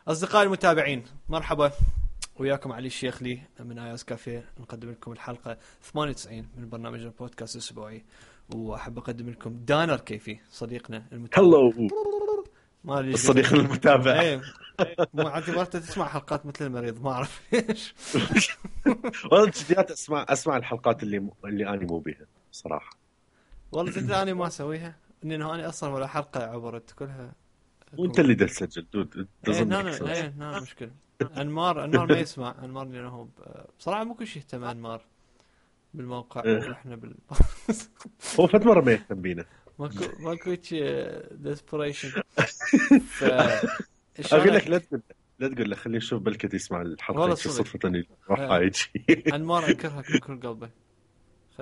أصدقائي المتابعين، مرحبا وياكم علي الشيخلي من اياس كافيه. نقدم لكم الحلقة 98 من برنامج البودكاست الأسبوعي، وأحب أقدم لكم دانر كيفي صديقنا المتابع. هلو الصديق المتابع. ايه مو اعتبرت تسمع حلقات مثل المريض، ما أعرف ليش. والله جديات اسمع الحلقات اللي انا مو بيها صراحة. والله تدري أنا ما أسويها، إنه أنا أصلا ولا حلقة عبرت كلها. وانت اللي تسجل دود تظن ايه مشكلة. انمار ما يسمع انمار، لانه بصراحة مو كل شيء اهتم انمار بالموقع واحنا هو فد مرة ما يهتم بينا. ماكو ديسبريشن. اقول لك لا تقول له خليه يشوف بلكت يسمع الحلقة. والله صدفة راح يجي انمار انكرها كل قلبه.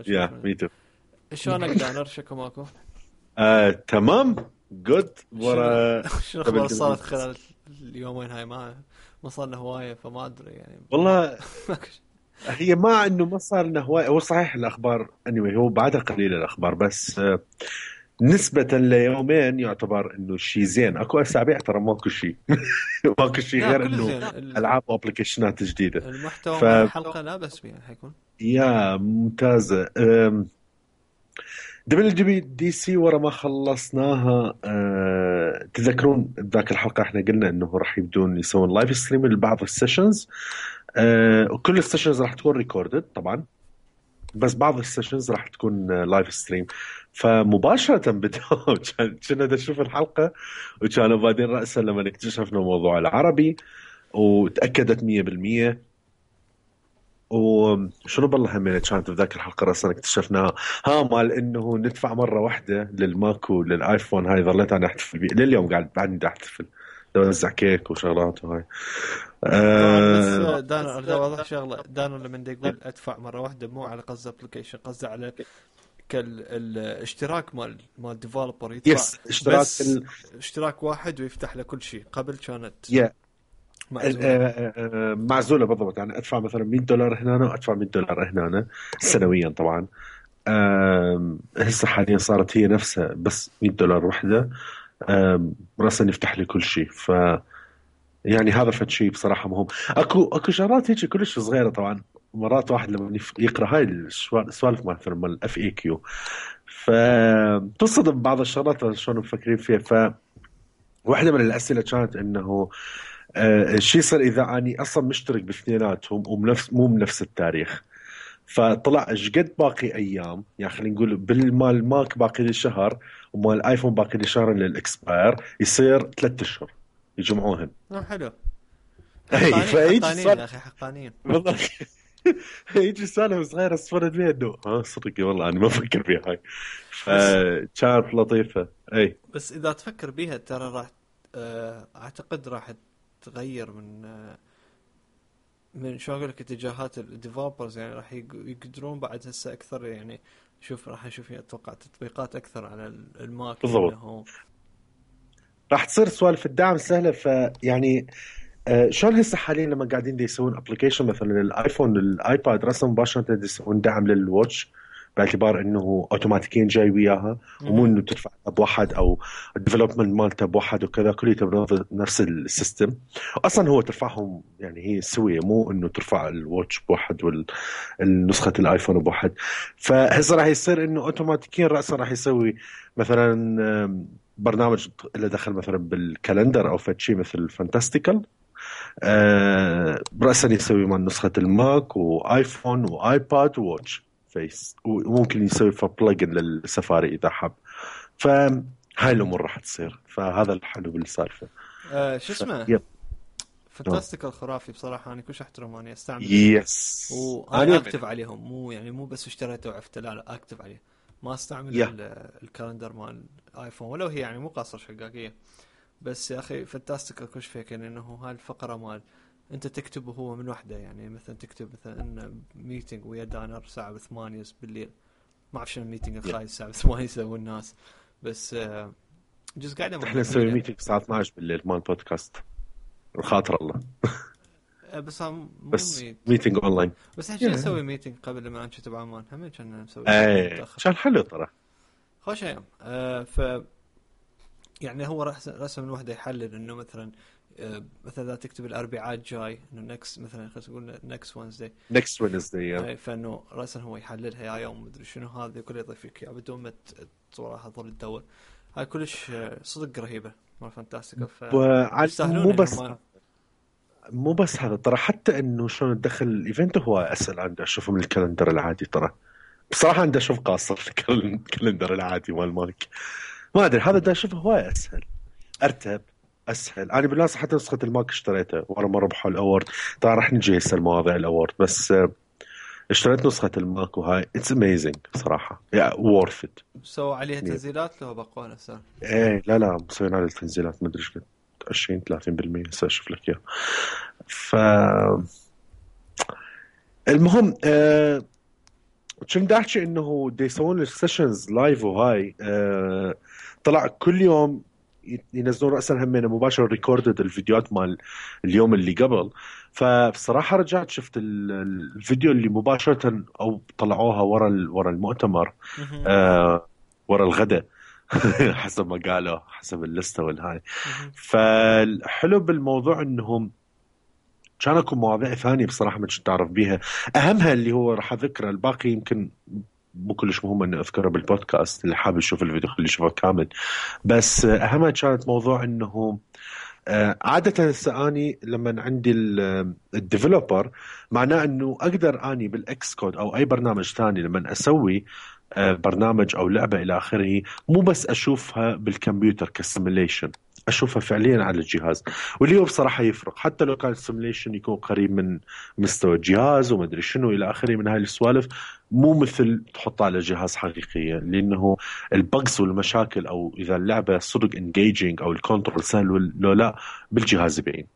يا ميتو. شلونك دانر؟ شكو ماكو؟ تمام جود. شنو اخبار صارت خلال اليومين هاي؟ ما صار هواية فما ادري يعني. والله هي ما انه ما صار لنا هواية. هو صحيح الاخبار هو بعدها قليل الاخبار، بس نسبة ليومين يعتبر انه شيء زين. اكو اسابيع ترى ماكو شيء ماكو شيء غير انه العاب وابلكيشنات جديدة. المحتوى مال الحلقة لا بس بيه حيكون يا ممتازة. WWDC ورا ما خلصناها. تذكرون ذاك الحلقة احنا قلنا انه راح يبدون يسوون لايف ستريم لبعض السيشنز. وكل السيشنز راح تكون ريكوردد طبعا، بس بعض السيشنز راح تكون لايف ستريم. فمباشرة بدأوا كنا نشوف الحلقة، وكانوا بعدين رأسا لما اكتشفنا موضوع العربي وتأكدت 100%. وشنو بالله همين كانت بذاك الحلقة رأسا اكتشفناها مال انه ندفع مرة واحدة للماك وللآيفون. هاي ظليت انا احتفل بيه لليوم، قاعد بعدني احتفل اوزع كيك وشغلات وهاي. بس دانو ارجع واضح شغله. دانو لما يقول ادفع مره واحده مو على قصد ابلكيشن، قصده على الاشتراك مال ديفلوبر يدفع بس اشتراك واحد ويفتح له كل شيء. قبل كانت معزولة بالضبط. يعني ادفع مثلا $100 هنا وادفع $100 هنا سنويا طبعا. هسه حاليا صارت هي نفسها بس $100 وحده راسا يفتح لي كل شيء. ف يعني هذا فد شيء بصراحة مهم. اكو شغلات هيك كلش صغيرة طبعا. مرات واحد لما يقرأ هاي السوالف مثلا مال FAQ فتصدم بعض الشغلات شلون مفكرين فيها. واحدة من الأسئلة كانت إنه الشيء صار إذا أني أصلا مشترك باثنيناتهم مو بنفس التاريخ، فطلع ايش قد باقي ايام. يعني خلينا نقول بالمال ماك باقي لي شهر ومال الايفون باقي لي شهر للاكسباير، يصير 3 اشهر يجمعوهن. حلو. حقانين يا اخي حقانين والله. يجي سالفه صغيره صفرت بيها انه صدق والله انا ما افكر فيها هاي. فكانت لطيفه. اي بس اذا تفكر بيها ترى راح اعتقد راح تغير من شو اقول لك اتجاهات الديفلوبرز. يعني راح يقدرون بعد هسه اكثر. يعني راح نشوف اتوقع تطبيقات اكثر على الماك بالضبط. راح تصير سوالف الدعم سهله. فيعني شلون هسه حاليا لما قاعدين يسوون ابلكيشن مثلا للايفون للايباد رسم مباشره يسوون دعم للواتش، باعتبار انه اوتوماتيكيا جاي وياها ومو انه تدفع بواحد او الديفلوبمنت مالته بواحد وكذا، كله نفس السيستم. اصلا هو ترفعهم يعني هي سويه، مو انه ترفع الواتش بواحد والنسخه الايفون بواحد. فهسه راح يصير انه اوتوماتيكيا راسا راح يسوي مثلا برنامج اللي دخل مثلا بالكالندر او فشي مثل فانتاستيكال راسا يسوي مع نسخه الماك وايفون وايباد وواتش فيس، وممكن يسوي بلجن للسفاري اذا حب. فهاي الامور راح تصير. فهذا الحلو بالسالفه. شو اسمه فانتاستيكال خرافي بصراحه. انا كلش احترم اني استعمل يس وانا اكتب عليهم. مو بس اشتريته وعفته، لا اكتب عليه. ما استعمل الكالندر مال ايفون ولو هي يعني مو قاصر شقاقيه. بس يا اخي فانتاستيكال كلش فيكن انه هاي الفقره مال انت تكتب وهو من وحده. يعني مثلا تكتب مثلا ان ميتنج ويا دانر الساعه 8 بالليل. ما اعرف شنو الميتنج الخايس الساعه 8 يسوون الناس. بس جزء قاعده احنا نسوي ميتنج الساعه 12 بالليل مال بودكاست الخاطر الله. بس مو ميتنج اونلاين. بس احنا نسوي ميتنج قبل لما نكتب عمان هم كنا نسوي كان حلو ترى خوش ايام. ف يعني هو رسم الوحده يحلل انه مثلا مثلا اذا تكتب الاربعاء الجاي انه نكست، مثلا خلينا نقول نكست وينزداي، next Wednesday. فانه راسا هو يحللها يا يوم مدري شنو هذه كله يضيف لك اياه بدون ما صراحه تظل تدور. هاي كلش صدق رهيبه مال فانتاستيكا، مو فيستاهلون بس انه مو بس هذا ترى، حتى انه شلون تدخل الايفنت هو اسهل عندي اشوفه من الكالندر العادي. ترى بصراحه عندي اشوف قاصر في الكالندر العادي مال مايك، ما ادري هذا دا اشوفه هواي اسهل، ارتب، اسهل. انا بالناس حتى نسخه الماك اشتريتها ورا ما ربحوا الاورد. طبعا راح نجي هسه المواضيع الاورد، بس اشتريت نسخه الماك وهاي اتس اميزنج صراحه، يا وورث ات. سووا عليها تنزيلات لو بقوا نفسها. ايه لا مسوين على التنزيلات ما ادري ايش قد 20 30% هسه اشوف لك اياه. ف المهم كنت احكي انه دي يسوون السيشنز لايف وهاي طلع كل يوم ينزلون رأسا همين مباشر ريكوردد الفيديوهات مال اليوم اللي قبل. فبصراحة رجعت شفت الفيديو اللي مباشرة او طلعوها ورا المؤتمر ورا الغداء حسب ما قالوا حسب اللستة والهاي. فالحلو بالموضوع انهم كان اكو مواضيع ثانية بصراحة ما كنت أعرف بيها، أهمها اللي هو راح أذكره، الباقي يمكن مو كلش مهم أن أذكره بالبودكاست، اللي حابب يشوف الفيديو خليه يشوفه كامل. بس أهمها كانت موضوع أنه عادة هسه أني لما عندي الديفلوبر معناه أنه أقدر أني بالإكس كود أو أي برنامج ثاني لما أسوي برنامج أو لعبة إلى آخره، مو بس أشوفها بالكمبيوتر كسيميليشن، اشوفها فعليا على الجهاز. واللي هو بصراحه يفرق، حتى لو كان السيميليشن يكون قريب من مستوى الجهاز وما ادري شنو الى اخره من هاي السوالف، مو مثل تحطها على جهاز حقيقيه، لانه البجز والمشاكل او اذا اللعبه صدق انجيجنج او الكنترول سهل لو لا بالجهاز يبين،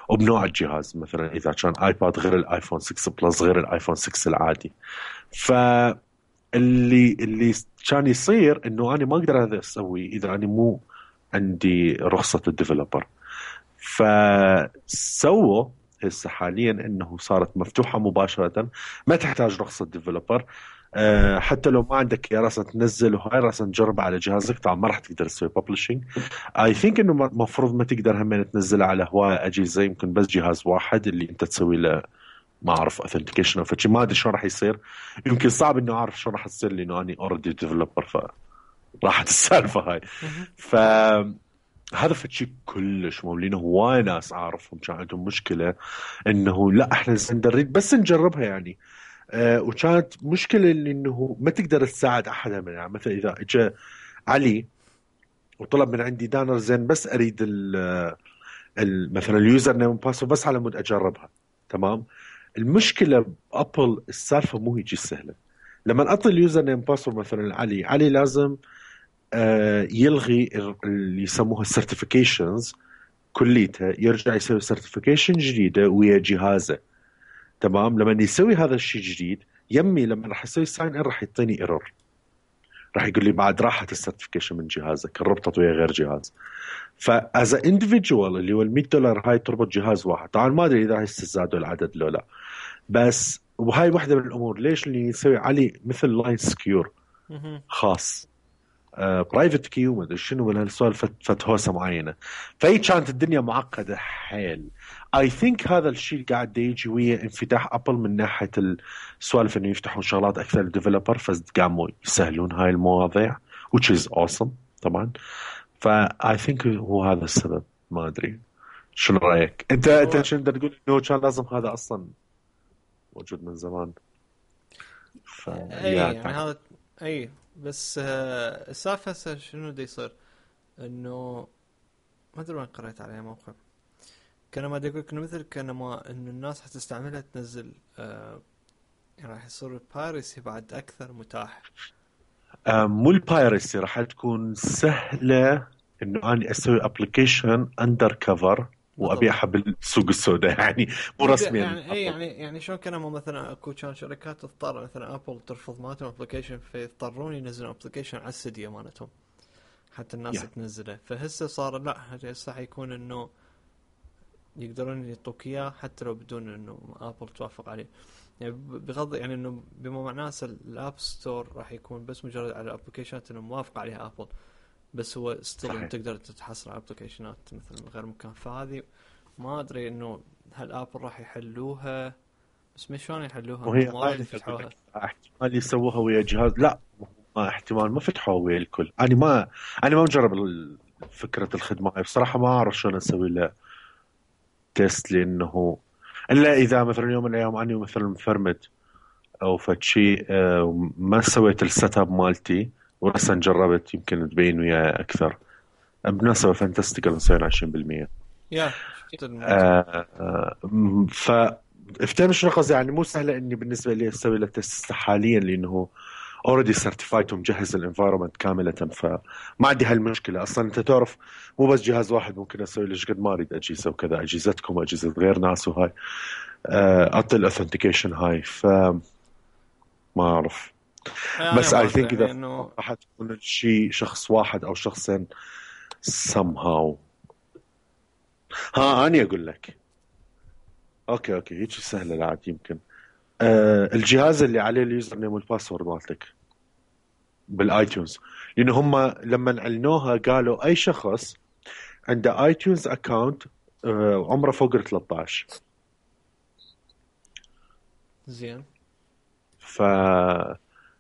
وبنوع الجهاز. مثلا اذا كان ايباد غير الايفون 6 بلس غير الايفون 6 العادي. ف اللي كان يصير انه انا ما اقدر هذا اسوي اذا انا مو عندي رخصة الديفلوبر. فسووا هسه حاليا انه صارت مفتوحة مباشرة، ما تحتاج رخصة ديفلوبر. حتى لو ما عندك يا راسا تنزل وهاي راسا تجربها على جهازك، طبعا ما راح تقدر تسوي ببلشنج. اي ثينك انه مفروض ما تقدر هم تنزلها على هواية اجهزة، يمكن بس جهاز واحد اللي انت تسوي له ما اعرف اوثنتيكيشن او فشي، ما ادري شلون راح يصير. يمكن صعب انه اعرف شلون راح تصير لانه اني اوريدي ديفلوبر، فراحت السالفة هاي. ف هذا فشي كلش مو، لانه هواي ناس اعرفهم كان عندهم مشكله انه لا احنا نريد بس نجربها يعني. وكانت مشكله انه ما تقدر تساعد احد من، يعني مثلا اذا اجى علي وطلب من عندي دانر زين بس اريد مثلا اليوزر نيم باسورد بس على مود اجربها، تمام. المشكله بابل السالفه مو هيجي سهله. لما اعطي اليوزر نيم باسورد مثلا علي لازم يلغي اللي يسموها السيرتيفيكيشنز كليتها، يرجع يسوي سيرتيفيكيشن جديده ويا جهازه، تمام. لما يسوي هذا الشيء جديد يمي لما راح يسوي ساين ان راح يعطيني ايرور، راح يقول لي بعد راحت السيرتيفيكيشن من جهازك ربطت ويا غير جهاز. فاز اندفيدوال اللي هو $100 هاي تربط جهاز واحد. طبعا ما ادري اذا هسه زادوا العدد لو لا، بس وهاي واحده من الامور ليش اللي يسوي علي مثل لاين سكيور خاص، برايفت كي وما ادري شنو من هالسوالف فتهوسه معينه. فهي كانت الدنيا معقده حيل. اي ثينك هذا الشيء قاعد يجي ويا انفتاح ابل من ناحيه السوالف انه يفتحون شغلات اكثر للديفلوبر، فقاموا يسهلون هاي المواضيع which is awesome طبعا. فاي ثينك هو هذا السبب. ما ادري شنو رايك انت شنو تقول انه كان لازم هذا اصلا موجود من زمان. اي يعني هذا اي بس السالفه هسه شنو دا يصير انه ما ادري وين قريت عليه موقع كان ما يقول انه مثل كان ما انه الناس حتستعملها تنزل يعني راح يصير البايرسي بعد اكثر متاح. مو البايرسي، راح تكون سهله انه اني اسوي ابلكيشن اندر كفر وابيعها بالسوق السوداء يعني مو رسميا يعني شلون كانوا مثلا اكو كان شركات تضطر مثلا ابل ترفض مالتهم ابلكيشن فيضطرون ينزلون ابلكيشن على السديه مالتهم حتى الناس تنزله. فهسه صار لا هسه حيكون انه يقدرون يعطوك اياه حتى لو بدون انه ابل توافق عليه. يعني بغض يعني انه بما معناه الاب ستور راح يكون بس مجرد على الابلكيشنات انه موافق عليها ابل، بس هو ستيل تقدر تتحصل على ابلكيشنات مثل غير مكان. فهذه ما ادري انه هل ابل راح يحلوها، بس ما شلون يحلوها وهي انه ما هاي راح اللي اقول يفتحوها. لك، احتمال يسووها ويا جهاز. لا، ما احتمال ما فتحوها ويا الكل. انا ما مجرب فكره الخدمه هاي بصراحه، ما اعرف شلون اسوي لها تيست، لانه الا اذا مثلا يوم من الايام اني مثلا مفرمد او فد شيء، ما سويت السيت اب مالتي ورسا جربت، يمكن تبين وياي اكثر. بنسبه فانتستيكال نسوي 20%. يا شفت الموضوع. آه ف افتهم شنو قصدي، يعني مو سهله اني بالنسبه لي اسوي له تيست حاليا، لانه اوريدي سيرتيفايد ومجهز الانفايرمنت كامله، فما عندي هالمشكله. اصلا انت تعرف مو بس جهاز واحد ممكن اسوي له قد ما اريد اجهزه وكذا، اجهزتكم واجهزه غير ناس وهاي، اعطي الاوثنتيكيشن هاي. ما اعرف، انا بس ما اي ادري ثينك يعني اذا انه راح تكون شيء شخص واحد او شخصين somehow. اني اقول لك، اوكي هيك سهله العاد. يمكن الجهاز اللي عليه اليوزر نيم والباسورد مالتك بالايتونز، لان هم لما اعلنوها قالوا اي شخص عنده ايتونز اكاونت عمره فوق ال 13. زين.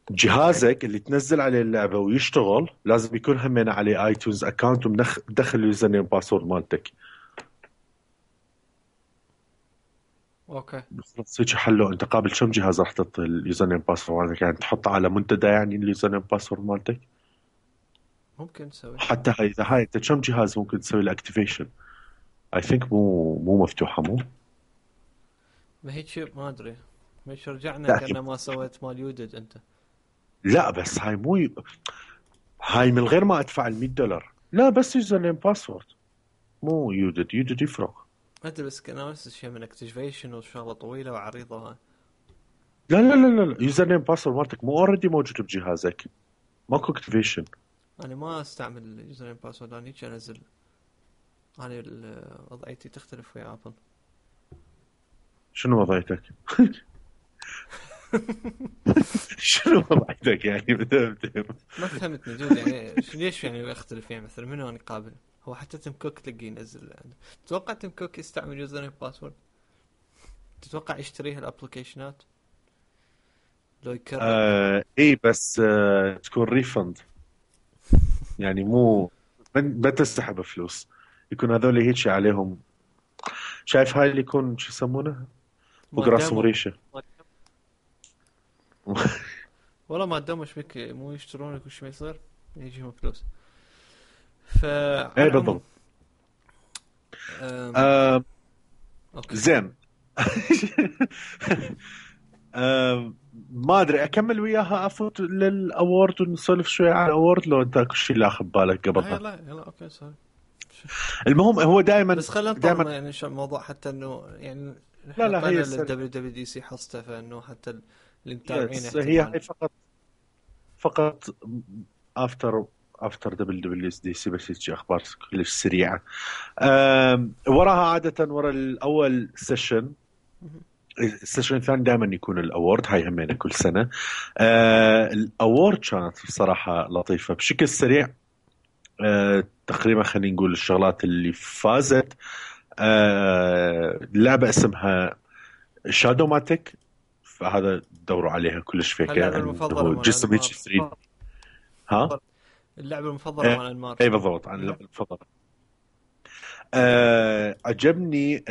فجهازك اللي تنزل عليه اللعبه ويشتغل لازم يكون همين عليه ايتونز اكاونت ومدخل اليوزر نيم باسورد مالتك. اوكي. خلاص هيك حلو. انت قابل كم جهاز راح تحط اليوزر نيم باسورد مالتك؟ يعني تحطه على منتدى يعني اليوزر نيم باسورد مالتك؟ ممكن تسوي. حتى اذا هاي انت كم جهاز ممكن تسوي له اكتيفيشن؟ اي ثينك مو مفتوحه، مو. ما هيك ما ادري، مش رجعنا لا كأنه ما سويت مال يودد انت. لا بس هاي مو هاي من غير ما ادفع $100. لا بس يوزر نيم باسورد، مو يودد يفرق. ما ادري، بس كان نفس الشيء من اكتيفيشن وشغله طويله وعريضه هاي. لا يوزر نيم باسورد مالتك مو اوريدي موجود بجهازك، ماكو اكتيفيشن. انا ما استعمل اليوزر نيم باسورد، انا هيك انزل. انا وضعيتي تختلف ويا ابل. شنو وضعيتك؟ شنو وضعيتك يعني؟ ما فهمتني دود، يعني ليش يعني اختلف؟ يعني مثلا منو انا قابل؟ هو حتى تيم كوك تلقيه ينزل. تتوقع تيم كوك يستعمل يوزر نيم باسورد؟ تتوقع يشتري هالابلكيشنات لو يكرر؟ اي بس تكون ريفند، يعني مو ما تسحب فلوس. يكون هذول هيك عليهم. شايف هاي اللي يكون شو يسمونه فوق ما راسهم داموا ريشه. والله ما داموا ايش بك مو يشترون كل شيء ما يصير يجيهم فلوس. فعلى اي العموم بالضبط. أم... آه اوكي. زين. ما ادري اكمل وياها افوت للاورد ونسولف شوي عن الاورد، لو انت كل شيء لاخذ بالك قبلها. يلا اوكي صار. المهم هو دائما بس خلينا دائما. نطول يعني شو الموضوع حتى انه يعني لا احنا لا هي طلعنا السنة. للدبليو دبليو دي سي حصته، فانه حتى اللي متابعين يس هي احتمال. هاي فقط افتر دبل دي سي، بس هيك اخبار كلش سريعه. وراها عاده ورا الاول سيشن. السيشن الثاني دائما يكون الاورد، هاي همينه كل سنه. الاورد كانت بصراحه لطيفه بشكل سريع. تقريبا خلينا نقول الشغلات اللي فازت. لعبه اسمها شادو ماتيك، فهذا دوروا عليها كلش فيكه، اللعبة المفضلة انه مال جسم هيك انمار. 3. ها. اللعبة المفضلة مال انمار. اي بالضبط، عن اللعبه المفضله. عجبني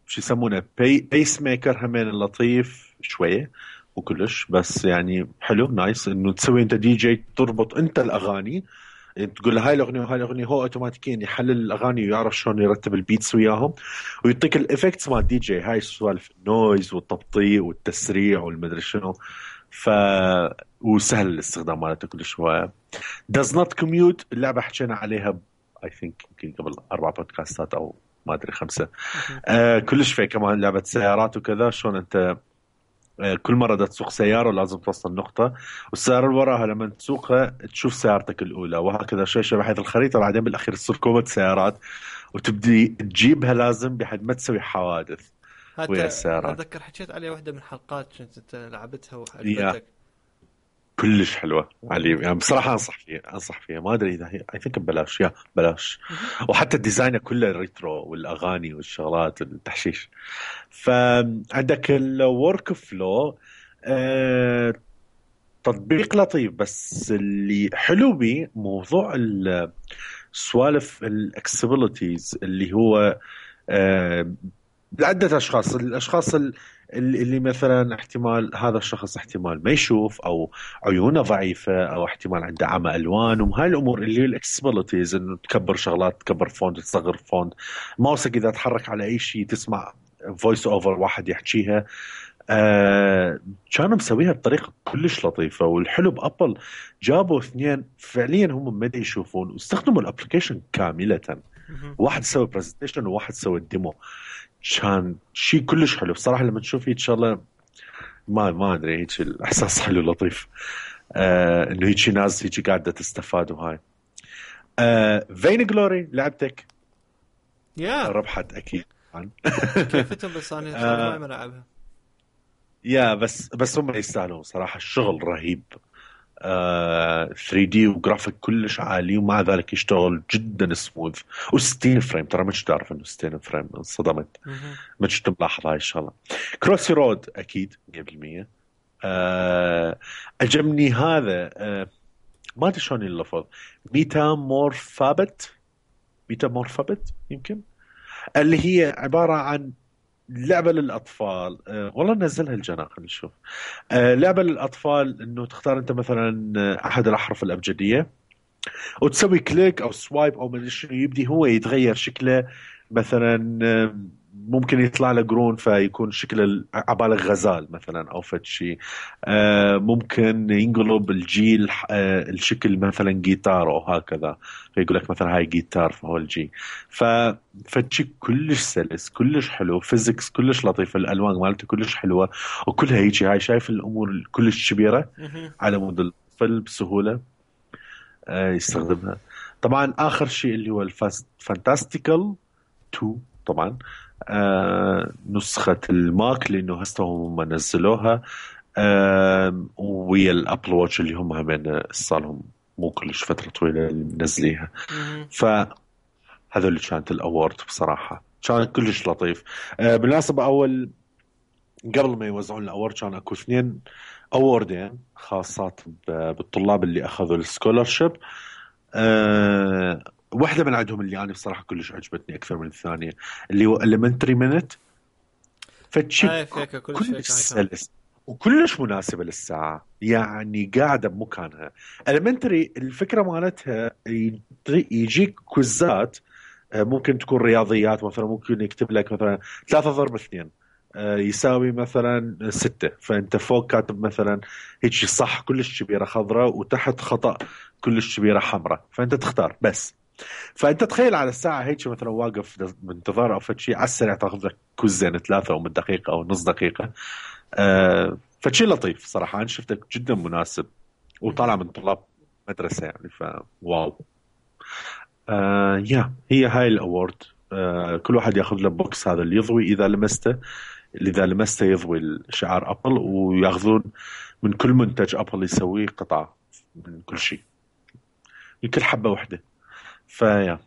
شو يسمونه بيس ميكر همين لطيف شويه وكلش، بس يعني حلو نايس انه تسوي انت دي جي، تربط انت الاغاني، يعني تقول له هاي الاغنيه وهاي الاغنيه، هو اوتوماتيكيا يحلل الاغاني ويعرف شلون يرتب البيتس وياهم، ويعطيك الافكتس مال دي جي، هاي سوالف النويز والتبطيء والتسريع والمدري شنو. ف وسهل الاستخدام مالته كلش. هو does not commute. اللعبه حكينا عليها اي ثينك يمكن قبل 4 بودكاستات او ما ادري 5. كلش في كمان لعبه سيارات وكذا، شلون انت كل مرة دا تسوق سيارة لازم توصل نقطة، والسيارة اللي وراها لما تسوقها تشوف سيارتك الأولى، وهكذا شوي بحيث الخريطة بعدين بالأخير تصير كومة سيارات وتبدي تجيبها لازم بحيث ما تسوي حوادث ويا حتى السيارات. اتذكر حكيت عليه واحدة من الحلقات كنت انت لعبتها يا وعجبتك. كلش حلوه علي، يعني بصراحه انصح فيها ما ادري اذا هي اي ثينك ببلاش، يا بلاش. مهم. وحتى الديزاين كله ريترو والاغاني والشغلات التحشيش. فعندك الورك فلو، تطبيق لطيف، بس اللي حلو بيه موضوع السوالف الاكسبيليتيز اللي هو آه، لعدة أشخاص. الأشخاص اللي مثلا احتمال هذا الشخص احتمال ما يشوف، أو عيونه ضعيفة، أو احتمال عنده عمى ألوان، وهاي الأمور اللي هي الإكسبيليتيز، إنه تكبر شغلات، تكبر فونت، تصغر فونت. ماوسك إذا تحرك على أي شيء تسمع فويس أوفر واحد يحكيها. كانوا مسويها بطريقة كلش لطيفة. والحلو بأبل جابوا اثنين فعليا هم ما يشوفون، واستخدموا الابلكيشن كاملة. مهم. واحد سوى برزنتيشن وواحد سوى الديمو. كان شيء كلش حلو بصراحة. لما تشوف ان شاء الله ما ادري، هيك الاحساس حلو لطيف. انه هيك ناس هيك قاعدة تستفاد. وهاي فين جلوري لعبتك يا ربحت اكيد. كيفتهم، بس انا صراحه ما العبها. يا بس هم يستاهلون صراحة. الشغل رهيب. 3D وجرافيك كلش عالي، ومع ذلك يشتغل جدا سموث. و60 فريم، ترى ما كنت اعرف انه 60 فريم، انصدمت. مهم. ما كنت ملاحظ هاي الشغله. كروسي رود اكيد 100%. عجبني هذا. ما ادري شلون اللفظ. ميتامورفابت يمكن، اللي هي عباره عن لعبه للاطفال. والله نزلها الجناح، خلينا نشوف. لعبه للاطفال، انه تختار انت مثلا احد الاحرف الابجديه، وتسوي كليك او سوايب او ما شنو، يبدي هو يتغير شكله. مثلا ممكن يطلع له قرون فيكون شكله عبالك غزال مثلا او فد شيء. ممكن ينقلب الجيل الشكل مثلا جيتار او هكذا، فيقول لك مثلا هاي جيتار فهو الجي. فشي كلش سلس، كلش حلو، فيزيكس كلش لطيف، الالوان مالته كلش حلوه، وكلها هيجي. هاي شايف الامور كلش كبيره مهم. على مود الطفل بسهوله يستخدمها. طبعا اخر شيء اللي هو الفانتاستيكال 2 طبعا. نسخة الماك لانه هسه هم نزلوها. ويا الابل واتش اللي هم همين صار لهم مو كلش فترة طويلة اللي منزليها. مهم. فهذول اللي كانت الاورد بصراحة كان كلش لطيف. بالمناسبة اول قبل ما يوزعون الاورد كان اكو اثنين اووردين خاصات بالطلاب اللي اخذوا السكولرشيب. واحدة من عندهم اللي أنا بصراحة كلش عجبتني أكثر من الثانية، اللي هو Elementary Minute. فتشي هاي فيك كل شيء كلش كان. سلس وكلش مناسبة للساعة، يعني قاعدة بمكانها. Elementary الفكرة مالتها يجيك كوزات. ممكن تكون رياضيات مثلا، ممكن يكتب لك مثلا 3 ضرب 2 يساوي مثلا 6، فانت فوق كاتب مثلا هيك صح كلش كبيره خضراء، وتحت خطأ كلش كبيره حمراء، فانت تختار بس. فانت تخيل على الساعه هيك مثلا واقف بانتظار او فشي، على السريع تاخذ لك كوزين 3 او من دقيقه او نص دقيقه. فشي لطيف صراحه، انا شفته جدا مناسب، وطالع مهم. من طلاب مدرسه يعني، فواو. يا هي هاي الاورد. كل واحد ياخذ له بوكس، هذا اللي يضوي اذا لمسته، اللي اذا لمسته يضوي شعار ابل، وياخذون من كل منتج ابل يسويه قطعه من كل شيء، يمكن حبه واحده. فيا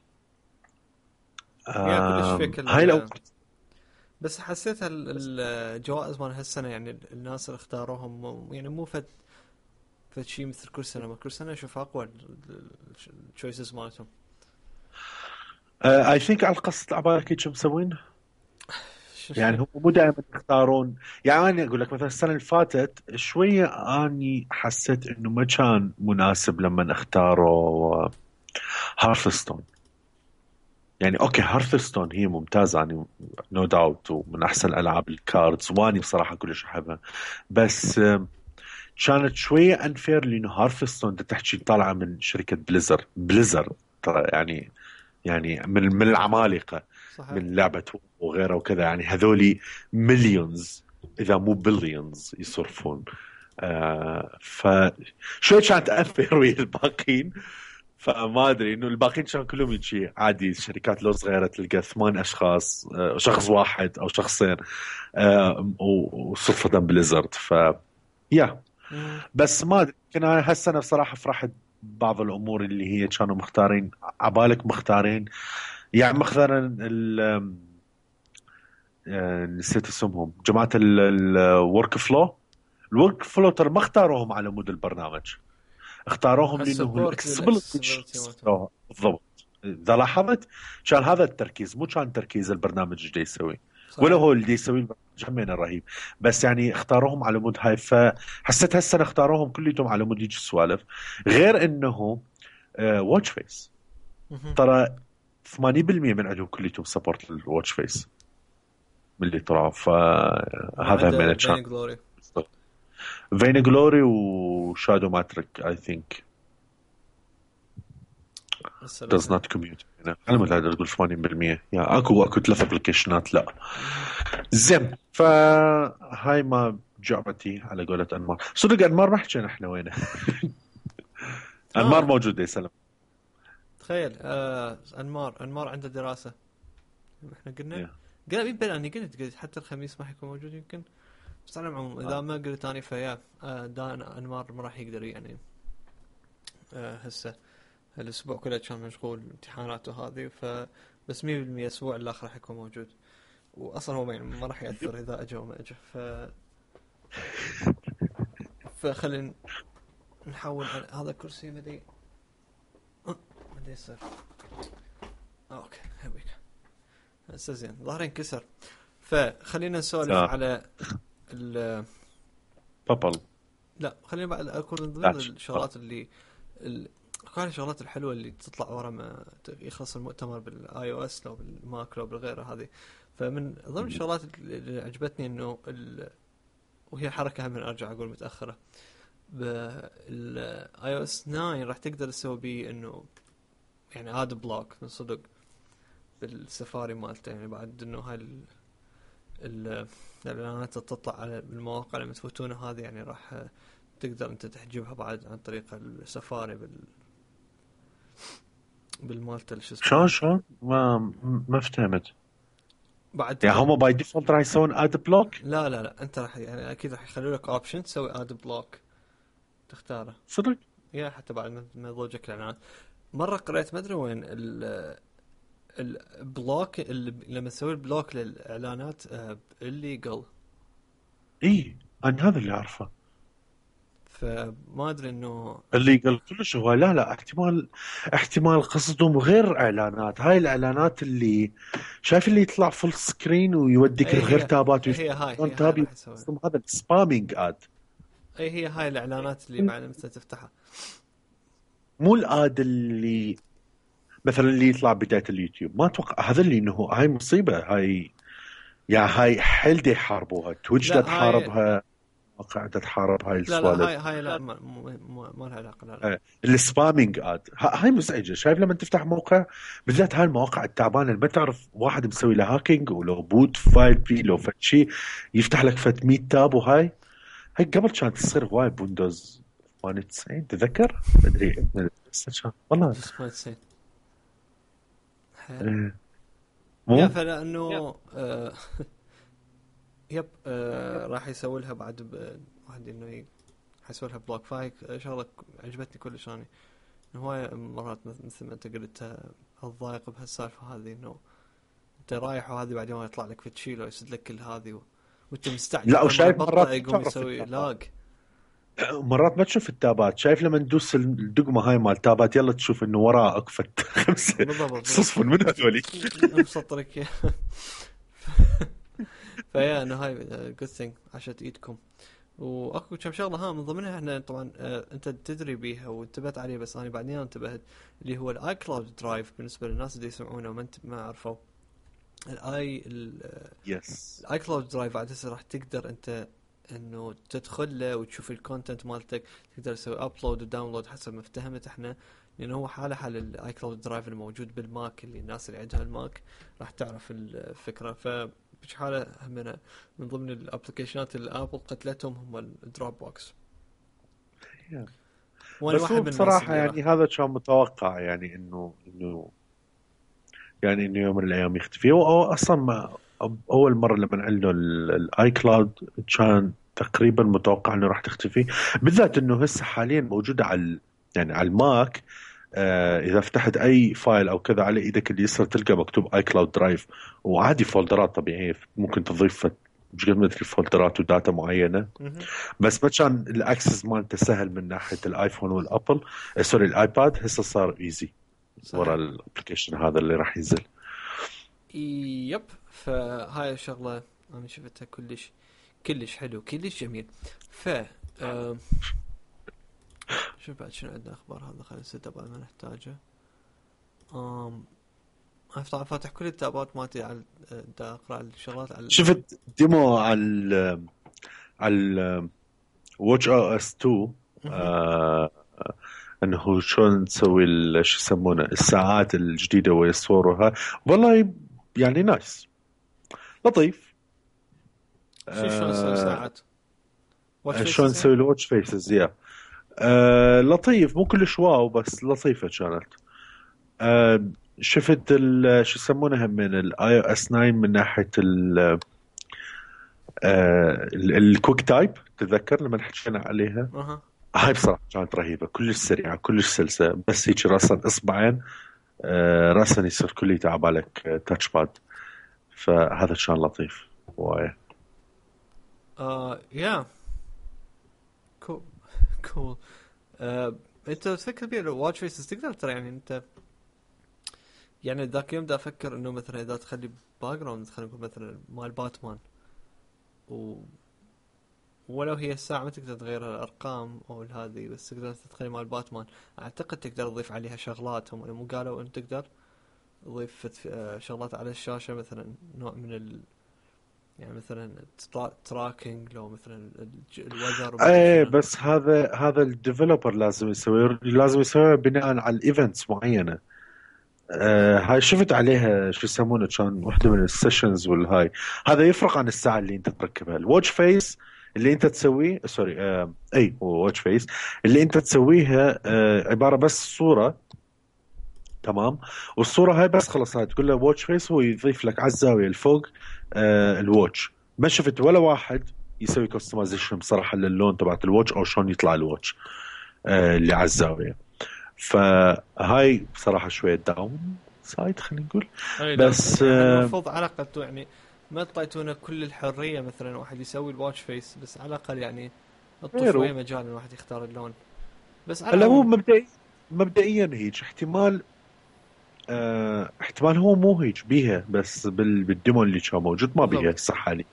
يا كلش فيك هاي الاورد. بس حسيت الجوائز مال هالسنه، يعني الناس اللي اختاروهم يعني مو فد شيء مثل كل سنه. ما كل سنه اشوف اقوى التشويسز مالتهم. اي ثينك على القصة عبالك هيك مسوين. يعني هم مو دائما يختارون. يعني انا اقول لك مثلا السنه اللي فاتت شويه اني حسيت انه ما كان مناسب لما اختاروا هارثستون. يعني اوكي هارثستون هي ممتازه يعني، نو داوت، ومن احسن العاب الكاردز، واني بصراحه كلش احبها. بس كانت شويه انفير، لانه هارثستون تحكي طالعه من شركه بليزر ترى، يعني من العمالقه، صحيح. من لعبه وغيره وكذا. يعني هذولي مليونز اذا مو بليونز يصرفون. فشوي كانت انفير ويا الباقين. فما ادري انه الباقيين كانوا كلهم يجي عادي، شركات لو صغيره تلقى 8 اشخاص، شخص واحد او شخصين، وصدفه بليزرد. ف يا مم. بس ما ادري، يمكن انا هالسنه بصراحه فرحت بعض الامور اللي هي كانوا مختارين عبالك مختارين. يعني مثلا نسيت اسمهم جماعه الورك فلو. الورك فلو ترى ما اختاروهم على مود البرنامج، اختاروهم لانه الاكسسبيلتي الاكسسبيلتي مالته. بالضبط. اذا لاحظت كان هذا التركيز، مو كان تركيز البرنامج ايش دا يسوي، ولا صحيح. هو اللي يسوي البرنامج همينه رهيب. بس يعني اختاروهم على مود هاي، فحسيت هالسنه اختاروهم كلهم على مود هيك السوالف. غير انه واتش فيس مهم. ترى 80% من عندهم كلهم سبورت للواتش فيس من اللي طلعوا، ما فهذا همينه عدا كان. فين جلوري. فين جلوري وشادو ماتريك اي ثينك هسه does لازم. not commute هنا على مود هذا تقول 80%. يعني اكو ثلاث ابلكيشنات لا. مهم. زين فهاي ما جعبتي على قولة انمار. صدق انمار ما حكينا احنا وينه. انمار اه موجود يا سلام. تخيل انمار عنده دراسة. احنا قلنا Yeah. مين بين قلت حتى الخميس ما حيكون موجود يمكن. بس على العموم اذا ما قلت اني فيا دان انمار ما راح يقدر يعني هسه الاسبوع كله كان مشغول امتحانات وهذه بس 100% الاسبوع الاخر راح يكون موجود. واصلا هو يعني ما راح ياثر اذا اجى وما اجى فخلينا نحاول هذا كرسي مدري مدري يصير. اوكي هبيك هسه زين ظهري انكسر. فخلينا نسولف على ال بابل. لا خلينا بعد اكون من ضمن داتش. الشغلات اللي كل الشغلات الحلوه اللي تطلع ورا ما يخلص المؤتمر بالاي او اس لو بالماك لو بالغيره هذه. فمن ضمن الشغلات اللي عجبتني انه وهي حركه هم ارجع اقول متاخره بالاي او اس 9 راح تقدر تسوي بيه انه يعني اد بلوك من صدق بالسفاري مالته. يعني بعد انه هاي الاعلانات تطلع على المواقع لما تفوتونها هذه يعني راح تقدر انت تحجبها بعد عن طريق السفاري بالمالته شو اسمه. شلون ما فهمت. بعد يعني تقدر. هم باي ديفولت راح يسوون اد بلوك؟ لا انت راح يعني اكيد راح يخلوا لك اوبشن تسوي اد بلوك تختاره. صدق؟ يا حتى بعد ما يضوجك الاعلانات. مره قريت ما ادري وين البلوك اللي لما تسوي البلوك للاعلانات الليجل. اي انا هذا اللي اعرفه. فما ادري انه اللي قال كلش هو لا احتمال قصدهم غير اعلانات. هاي الاعلانات اللي شايف اللي يطلع فول سكرين ويوديك اي الغير هي تابات هي هاي تاب. راح يسوي. قصدهم هذا السبامينج اد. اي هي هاي الاعلانات اللي بعد مثلا تفتحها. مو الاد اللي مثلا اللي يطلع بداية اليوتيوب. ما اتوقع هذا اللي انه هاي مصيبة. هاي يعني هاي حيل دي يحاربوها. تويتش دا لا هاي تحاربها، قاعدة تحارب هاي لا السوالف. هاي لا ما لها علاقه لا. السبامينج اد هاي مزعجه. شايف لما تفتح موقع بالذات هاي المواقع التعبانه اللي ما تعرف واحد مسوي له هاكينج ولو بوت فايل بي لو فد شيء يفتح لك فد 100 تاب. هاي قبل كانت تصير هواي بويندوز 98 تذكر مدري والله. جس ما تصير إيه. يا مو فلا انه يب راح يسوي لها بعد واحد انه حيسوي لها بلوك. فاي شغله عجبتني كلش اني انه هواي مرات مثل ما انت قلت الضايق بهالسالفه هذه انه انت رايح وهذه بعدين ما يطلع لك فتشيل ويسد لك كل هذه وانت مستعجل لا اول ما وشايف يبطأ مرات ما يقوم تعرف يسوي التابات. لاج. مرات ما تشوف التابات. شايف لما ندوس الدقمه هاي مال تابات يلا تشوف انه وراه اكفت خمسه بالضبط صفر من هذولي. مسطرك إياه. فيا انه هاي جود ثينج عشت ايدكم. واكو كم شغله من ضمنها احنا طبعا انت تدري بيها وانتبهت عليه بس انا بعدين انتبهت اللي هو الاي كلاود درايف بالنسبه للناس اللي يسمعونه ما عرفوا يس الاي كلاود درايف عاد هسه راح تقدر انت انه تدخل له وتشوف الكونتنت مالتك. تقدر تسوي ابلود وداونلود حسب ما افتهمت احنا لانه هو حال الاي كلاود درايف الموجود بالماك اللي الناس اللي عندها الماك راح تعرف الفكره. بش حاله همنا من ضمن الابلكيشنات اللي ابل قتلتهم هم الدروب بوكس. وانا بس واحد هو من الناس بصراحة اللي يعني راح هذا كان متوقع. يعني انه يعني انه يوم من الايام يختفي. هو اصلا ما اول مرة لما اعلنوا الاي كلاود كان تقريبا متوقع انه راح تختفي، بالذات انه هسه حاليا موجوده يعني على الماك. اذا فتحت اي فايل او كذا على ايدك اليسرى تلقى مكتوب اي كلاود درايف، وعادي فولدرات طبيعيه ممكن تضيف مش قد ما ادري فولدرات وداتا معينه. بس ما كان الاكسس مالته سهل من ناحيه الايفون والابل، سوري الايباد. هسه صار ايزي ورا الابلكيشن هذا اللي راح ينزل. يب. فهاي الشغله انا شفتها كلش حلو، كلش جميل. ف شوف بعد شنو عندنا اخبار. هذا خلينا نسد بعد ما نحتاجه. افتح فاتح كل التابات مالتي على دا اقرا الشغلات على شفت ديمو على واتش او اس 2 انه شلون نسوي شو يسمونه الساعات الجديده ويصورها. والله يعني نايس لطيف. شلون نسوي ساعات؟ شلون نسوي الواتش فيسز يا لطيف، مو كلش واو بس لطيفه كانت. شفت شو يسمونها من الاي او اس 9 من ناحيه الكويك تايب، تتذكر لما حكينا عليها؟ هاي بصراحه كانت رهيبه، كلش سريعه كلش سلسه، بس هيك راسا اصبعين راسا يصير كلي تعبالك تاتش باد. فهذا كان لطيف وايه. يا كول. انت تفكر بيه لو واتش فيسز تقدر ترى يعني انت يعني ذاك يوم دا افكر انه مثلا اذا تخلي باك جراوند خلينا نقول مثلا مال باتمان ولو هي الساعة ما تقدر تغير الارقام او هذه، بس تقدر تدخل مال باتمان. اعتقد تقدر تضيف عليها شغلات، هم مو قالوا ان تقدر تضيف شغلات على الشاشة، مثلا نوع من يعني مثلا تراكنج لو مثلا الوذر. ايه بس هذا الديفلوبر لازم يسوي بناء على الايفنتس معينه. هاي شفت عليها شو يسمونه كان واحده من السيشنز والهاي. هذا يفرق عن الساعه اللي انت تركبها. الواتش فيس اللي انت تسويه سوري اي هو واتش فيس اللي انت تسويها عباره بس صوره، تمام؟ والصوره هاي بس خلص هاي تقول له واتش فيس، هو يضيف لك على الزاويه الفوق الواتش. ما شفت ولا واحد يسوي كستمايزيشن بصراحه للون تبعت الواتش او شلون يطلع الواتش اللي على الزاويه. فهاي بصراحه شويه داون سايد خلينا نقول. بس يعني المفروض على الاقل يعني ما تعطونا كل الحريه، مثلا واحد يسوي الواتش فيس، بس على الاقل يعني اعطوا شويه مجال الواحد يختار اللون. بس هلا هو مبدئيا هيك احتمال احتمال هو مو هيك بيها، بس بالديمو اللي كان موجود ما بيها صح علي.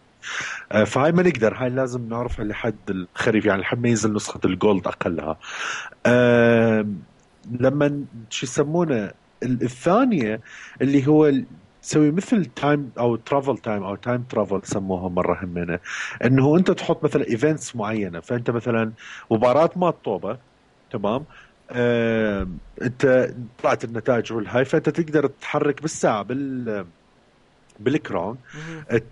فهاي ما نقدر، هاي لازم نعرفها لحد الخريف يعني لحد ما ينزل نسخة الجولد أقلها. لما شو يسمونه الثانية اللي هو تسوي مثل تايم او ترافل تايم او تايم ترافل سموها مرة همنا، انه انت تحط مثلا ايفنتس معينة. فانت مثلا مباراة ما طوبة، تمام؟ انت طلعت النتائج والهاي، فانت تقدر تتحرك بالساعة بالاكران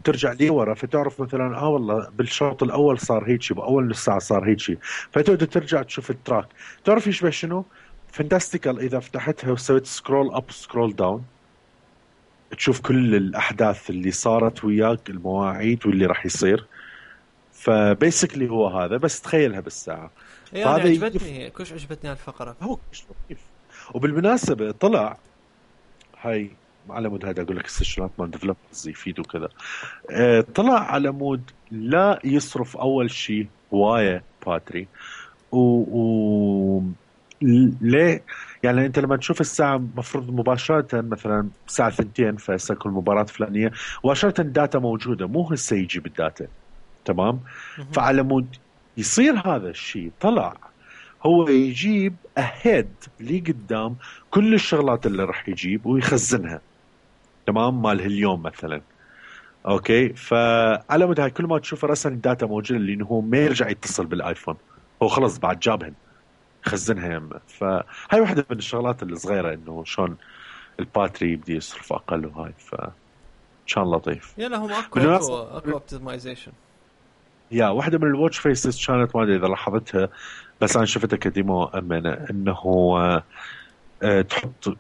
ترجع لي ورا، فتعرف مثلا والله بالشوط الاول صار هيك، باول نص ساعه صار هيك، فتقدر ترجع تشوف التراك. تعرف يشبه شنو؟ فانتاستيكال اذا فتحتها وسويت سكرول اب سكرول داون تشوف كل الاحداث اللي صارت وياك، المواعيد واللي راح يصير. فبيسكلي هو هذا، بس تخيلها بالساعه. يعني عجبتني كلش عجبتني هالفقره، هو كلش لطيف. وبالمناسبه طلع هاي على مود هذا اقول لك السيشنات مال ديفلوبرز يفيدوا كذا. طلع على مود لا يصرف اول شيء هوايه باتري ليه؟ يعني انت لما تشوف الساعه مفروض مباشره مثلا الساعه 2 فسيكون المباراه فلانيه مباشره الداتا موجوده، مو هسه يجي بالداتا، تمام؟ فعلى مود يصير هذا الشيء طلع هو يجيب أهيد لي قدام كل الشغلات اللي راح يجيب ويخزنها، تمام؟ مال اليوم مثلا، اوكي؟ فعلى مود هاي كل ما تشوف راسا الداتا موجوده، لانه هو ما يرجع يتصل بالايفون، هو خلص بعد جابهن خزنها يمه. فهاي واحده من الشغلات الصغيره انه شلون الباتري بدي يصرف اقل، وهاي كان لطيف. يلا هم اكو اوبتمايزيشن. يا واحده من الواتش فيسز كانت ما ادري اذا لاحظتها، بس انا شفتها كديمو امانه، انه تحط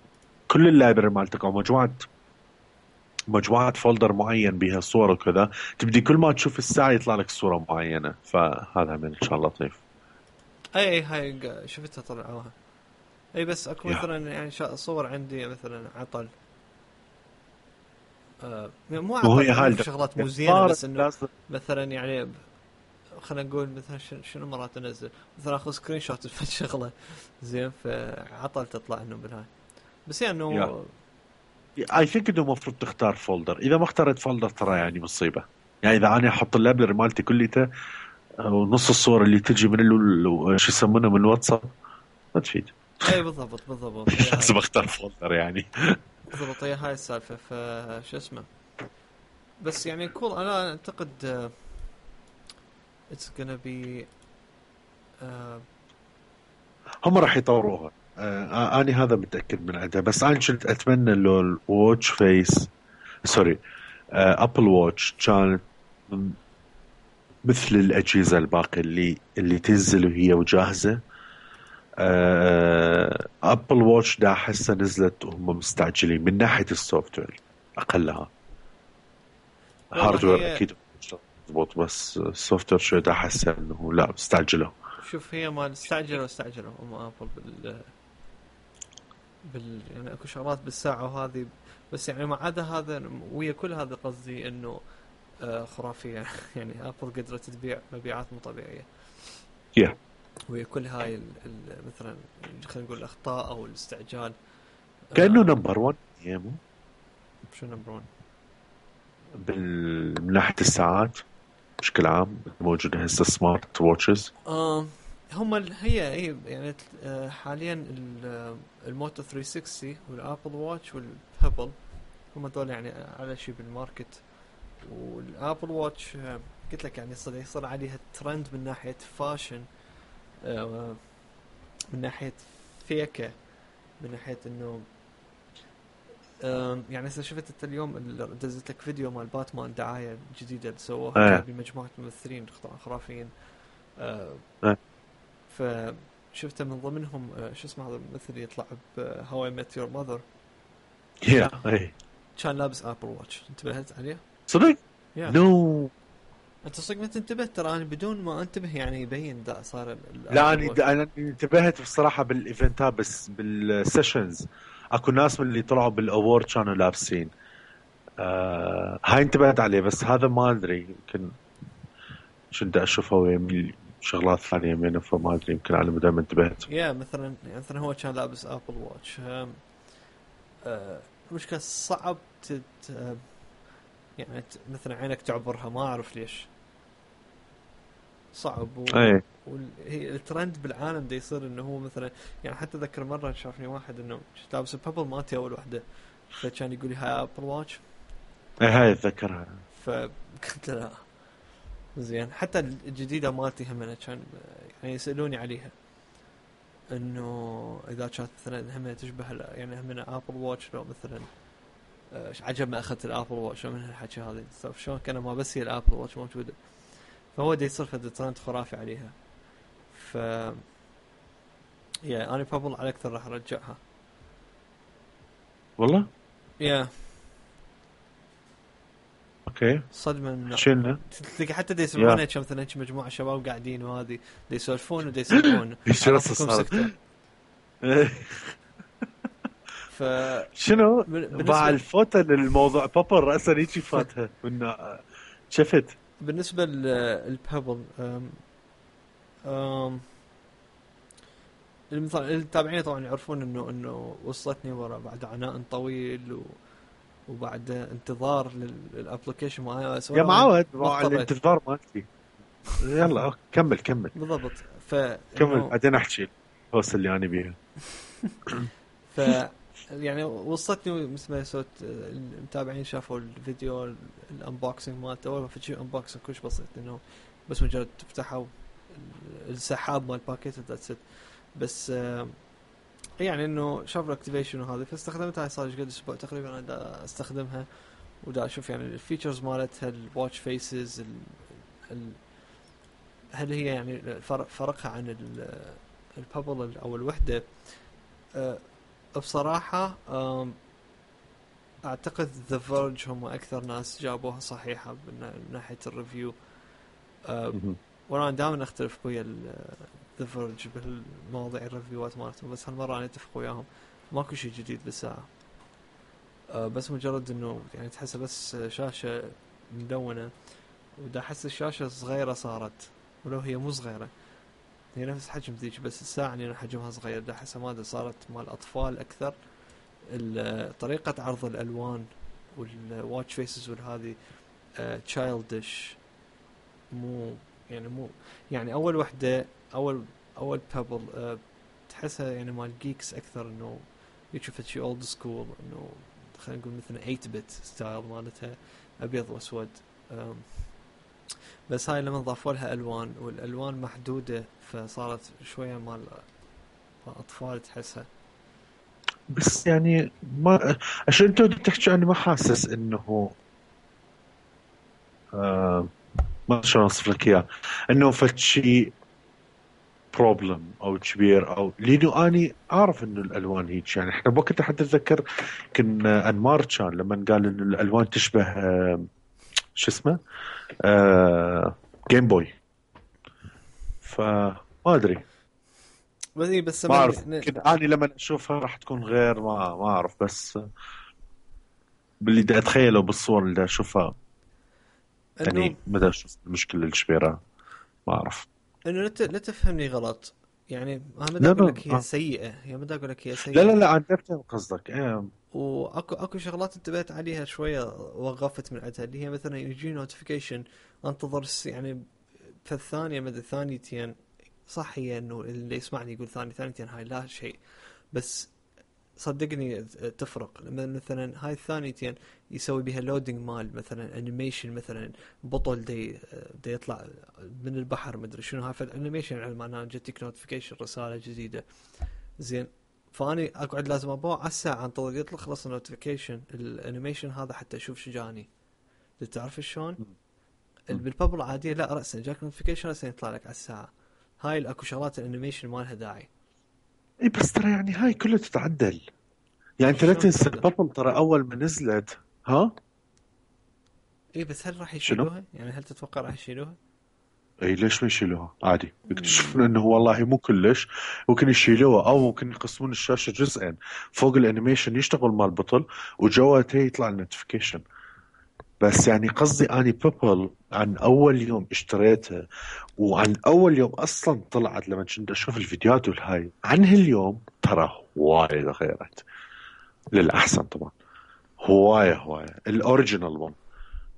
كل اللايبرري مالتك او مجموعه مجموعة فولدر معين بها صور وكذا، تبدي كل ما تشوف الساعة يطلع لك صورة معينة، فهذا من إن شاء الله لطيف. اي هاي شفتها طلعوها. اي بس اكو يا مثلا يعني صور عندي مثلا عطل، مو وهي عطل هاي يعني في شغلات مو زينه، صار بس انه لازم. مثلا يعني خلينا نقول مثلا شنو مرات انزل مثلا اخذ سكرين شوت في شغله زين، فعطل تطلع انه بالهاي. بس يعني يا انه اي ثينك انه المفروض تختار فولدر، اذا ما اخترت فولدر ترى يعني مصيبة. يعني اذا انا احط اللابلري مالتي كليته ونص الصور اللي تجي من شو يسمونه من الواتساب ما تفيد. اي بالضبط بالضبط هي هاي. لازم اختار فولدر يعني. بالضبط هي هاي السالفه، فشو اسمه. بس يعني كول انا اعتقد اتس gonna be هم راح يطوروها. انا هذا متاكد من عندها، بس انا كنت اتمنى لو الواتش فيس، سوري، ابل واتش كانت مثل الاجهزه الباقيه اللي تنزل وهي وجاهزه. ابل واتش دا احسها نزلت وهم مستعجلين من ناحيه السوفت وير اقلها. والله هاردوير هي. اكيد مضبوط، بس السوفت وير شوي دا احسها انه لا مستعجله. شوف هي ما استعجلوا هم ابل يعني اكو شغلات بالساعه وهذه، بس يعني ما عدا هذا ويا كل هذا قصدي انه خرافيه يعني ابل قدرت تبيع مبيعات مو طبيعيه yeah. ويا كل هاي مثلا خلينا نقول الاخطاء او الاستعجال. كانه نمبر 1 يمو شو نمبر 1 من ناحيه الساعات بشكل عام موجوده هسه سمارت واتشز. هم هي يعني حاليا الموتو 360 والابل واتش والبيبل هم دول يعني على شيء بالماركت. والابل واتش قلت لك يعني يصير عليها ترند من ناحيه فاشن، من ناحيه فيكه، من ناحيه انه يعني اذا شفت انت اليوم دزت لك فيديو مال باتمان دعايه جديده اللي سووها ايه جايبين مجموعه ممثلين خرافيين. آه، ايه فشفته من ضمنهم شو اسمه هذا الممثل يطلع بهاو اي ميت يور ماذر، يا ايه كان لابس ابل واتش، انتبهت عليه؟ صدق يا نو. انت صدق ما تنتبه، ترى انا بدون ما انتبه يعني يبين دا صار لا الابل واتش. انا انتبهت بصراحه بالايفنتات، بس بالسيشنز اكو ناس من اللي طلعوا بالاوورد كانوا لابسين. هاي انتبهت عليه، بس هذا ما ادري يمكن كنت اشوفه ويمي شغلات ثانيه يمينه، فما ادري يمكن انا ما انتبهت. يا مثلا يعني مثلا هو كان لابس ابل واتش. المشكله صعب يعني مثلا عينك تعبرها، ما اعرف ليش صعب ايه وهي الترند بالعالم ده يصير انه هو مثلا يعني حتى ذكر مره شافني واحد انه لابس البابل مالتي اول وحده، فكان يقول لي هاي ابل واتش، ايه هاي اتذكرها. فقلت له لا. زين حتى الجديده مالتي هم كان يعني يسالوني عليها انه اذا كانت مثلا هم تشبه يعني هم ابل واتش لو مثلا عجب ما اخذت الابل واتش من هالحكي هذا شلون كان ما بس هي الابل واتش موجوده، فهو دي يصير فد ترند خرافي عليها. ف يا انا بابل على اكثر راح ارجعها. والله يا اوكي صدمه من شلنا. تلقى حتى دي يا يسمعونها كم مثلا مجموعه شباب قاعدين وهذه دي يسولفون ودي يسمعون ايش على راسه طولكم صارت. سكتوا. ف شنو باع بالنسبه الفوتة للموضوع بابل رأسا هيجي فاتها من شفت. بالنسبه للبابل أم... التابعين طبعا يعرفون انه وصلتني ورا بعد عناء طويل وبعد انتظار للابلكيشن مال اي او اس، يا وانا معود ما مع اضطريت. الانتظار مالتي. يلا أوكي. كمل كمل بالضبط كمل فانه بعدين احكي الهوس اللي انا بيها. ف يعني وصلتني مثل ما صوت المتابعين شافوا الفيديو الانبوكسنج مالته، اول ما فشي انبوكسنج كلش بسيط انه بس مجرد تفتحه السحاب مال باكيت ذاتس. بس يعني انه شاف الاكتيفيشن وهذه فاستخدمتها، صار قد اسبوع تقريبا انا دا استخدمها ودا اشوف يعني الفيتشرز مالتها الواتش فيسز هل هي يعني فرقها عن البابل او الوحده. بصراحه اعتقد ذا فيرج هم اكثر ناس جابوها صحيحه من ناحيه الريفيو. مهم. وانا دائما اختلف ويا ذا فيرج بالمواضيع الريفيوات مالتهم، بس هالمره انا اتفق وياهم، ماكو شيء جديد بالساعه. بس مجرد انه يعني تحسها بس شاشه ملونه، ودا احس الشاشه صغيره صارت، ولو هي مو صغيره، هي نفس حجم ذيك، بس الساعه يعني حجمها صغير، دا احسها ما صارت مال اطفال اكثر. طريقه عرض الالوان والواتش فيسز والهذه تشايلدش، مو مو يعني اول وحده، اول بابل تحسها يعني مال جيكس اكثر، انه يشوف شيء اولد سكول، انه خلينا نقول مثلا 8 بت ستايل مالتها، ابيض واسود. بس هاي لما ضافوا لها الوان، والالوان محدوده، فصارت شويه مال اطفال تحسها. بس يعني ما عشان انت بتحكي، انا ما حاسس انه آه ما شلون اوصف لك اياه، انه فد شيء بروبلم او كبير، او لانه اني اعرف انه الالوان هيك. يعني احنا بوقتها حتى اتذكر كنا انمار كان لما قال انه الالوان تشبه شو اسمه جيم بوي. فما ادري، بس ما من اعرف، يمكن اني لما اشوفها راح تكون غير، ما اعرف. بس باللي بدي اتخيله بالصور اللي بدي اشوفها، انه يعني بدي اشوف المشكله الكبيره. ما اعرف. لا تفهمني غلط، يعني انا ما دا لا اقول لا لك هي سيئه، هي ما دا اقول لك هي لا لا سيئه. لا، انا فهمت قصدك. واكو شغلات انتبهت عليها شويه، وقفت من عندها، اللي هي مثلا يجي نوتيفيكيشن، انتظر يعني في الثانيه مدى ثانيتين. صح، هي انه اللي يسمعني يقول ثانيتين هاي لا شيء، بس صدقني تفرق لما مثلا هاي الثانيتين يسوي بها لودينج مال مثلا انيميشن، مثلا بطل دي يطلع من البحر، مدري شنو، هاي فالانيميشن يعني معناه جتك نوتيفيكيشن رساله جديده. زين، فاني اقعد لازم ابوع على الساعه انتظر يطلع خلص النوتيفيكيشن الانيميشن هذا حتى اشوف شو جاني. تعرف شلون؟ بالبابل العاديه لا، راسا جاك نوتيفيكيشن راسا يطلع لك على الساعه. هاي الاكو شغلات الانيميشن ما لها داعي. اي بس ترى يعني هاي كلها تتعدل. يعني انت لا شلون تنسى تتعدل؟ البطل ترى اول ما نزلت. ها؟ اي بس هل راح شنو؟ يشيلوها؟ يعني هل تتوقع راح يشيلوها؟ اي ليش ما يشيلوها؟ عادي يكتشفون انه والله مو كلش. ممكن يشيلوها او ممكن يقسمون الشاشه جزئين، فوق الانيميشن يشتغل مال البطل وجوته يطلع النوتيفيكيشن. بس يعني قصدي اني بيبل عن اول يوم اشتريتها، وعن اول يوم اصلا طلعت لما كنت اشوف الفيديوهات والهاي عن هاليوم، ترى وايد غيرت للاحسن طبعا. هوايه الاوريجينال 1.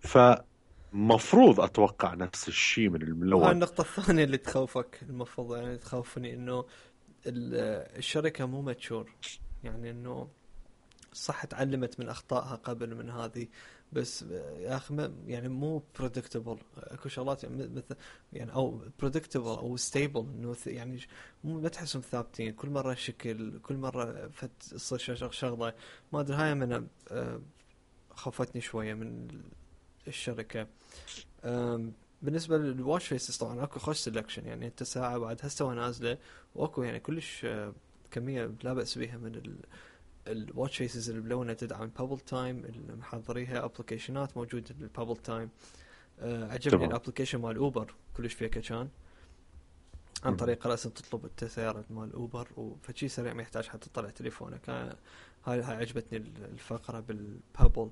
فمفروض اتوقع نفس الشيء من وهاي الاول. النقطة الثانية اللي تخوفك، المفروض يعني تخوفني، انه الشركة مو ماتشور، يعني انه صح تعلمت من اخطائها قبل من هذه، بس يا اخي يعني مو بريدكتبل. اكو شغلات يعني مثل يعني او بريدكتبل او ستيبل، انه يعني مو ما تحسهم ثابتين، كل مره شكل، كل مره تصير شغله ما ادري. هاي من خوفتني شويه من الشركه. بالنسبه للواتش فيسز طبعا اكو خوش سelection، يعني انت ساعه بعد هسه نازله، واكو يعني كلش كميه لا باس بها من الواتش فيسز اللي بلونها تدعم بابل تايم، اللي محضريها ابلكيشنات موجوده بالبابل تايم. عجبني تمام. الابلكيشن مال اوبر كلش فيك كان، عن مم. طريق راسا تطلب السيارة مال اوبر، وفشي سريع ما يحتاج حتى تطلع تليفونك. هاي عجبتني الفقرة بالبابل.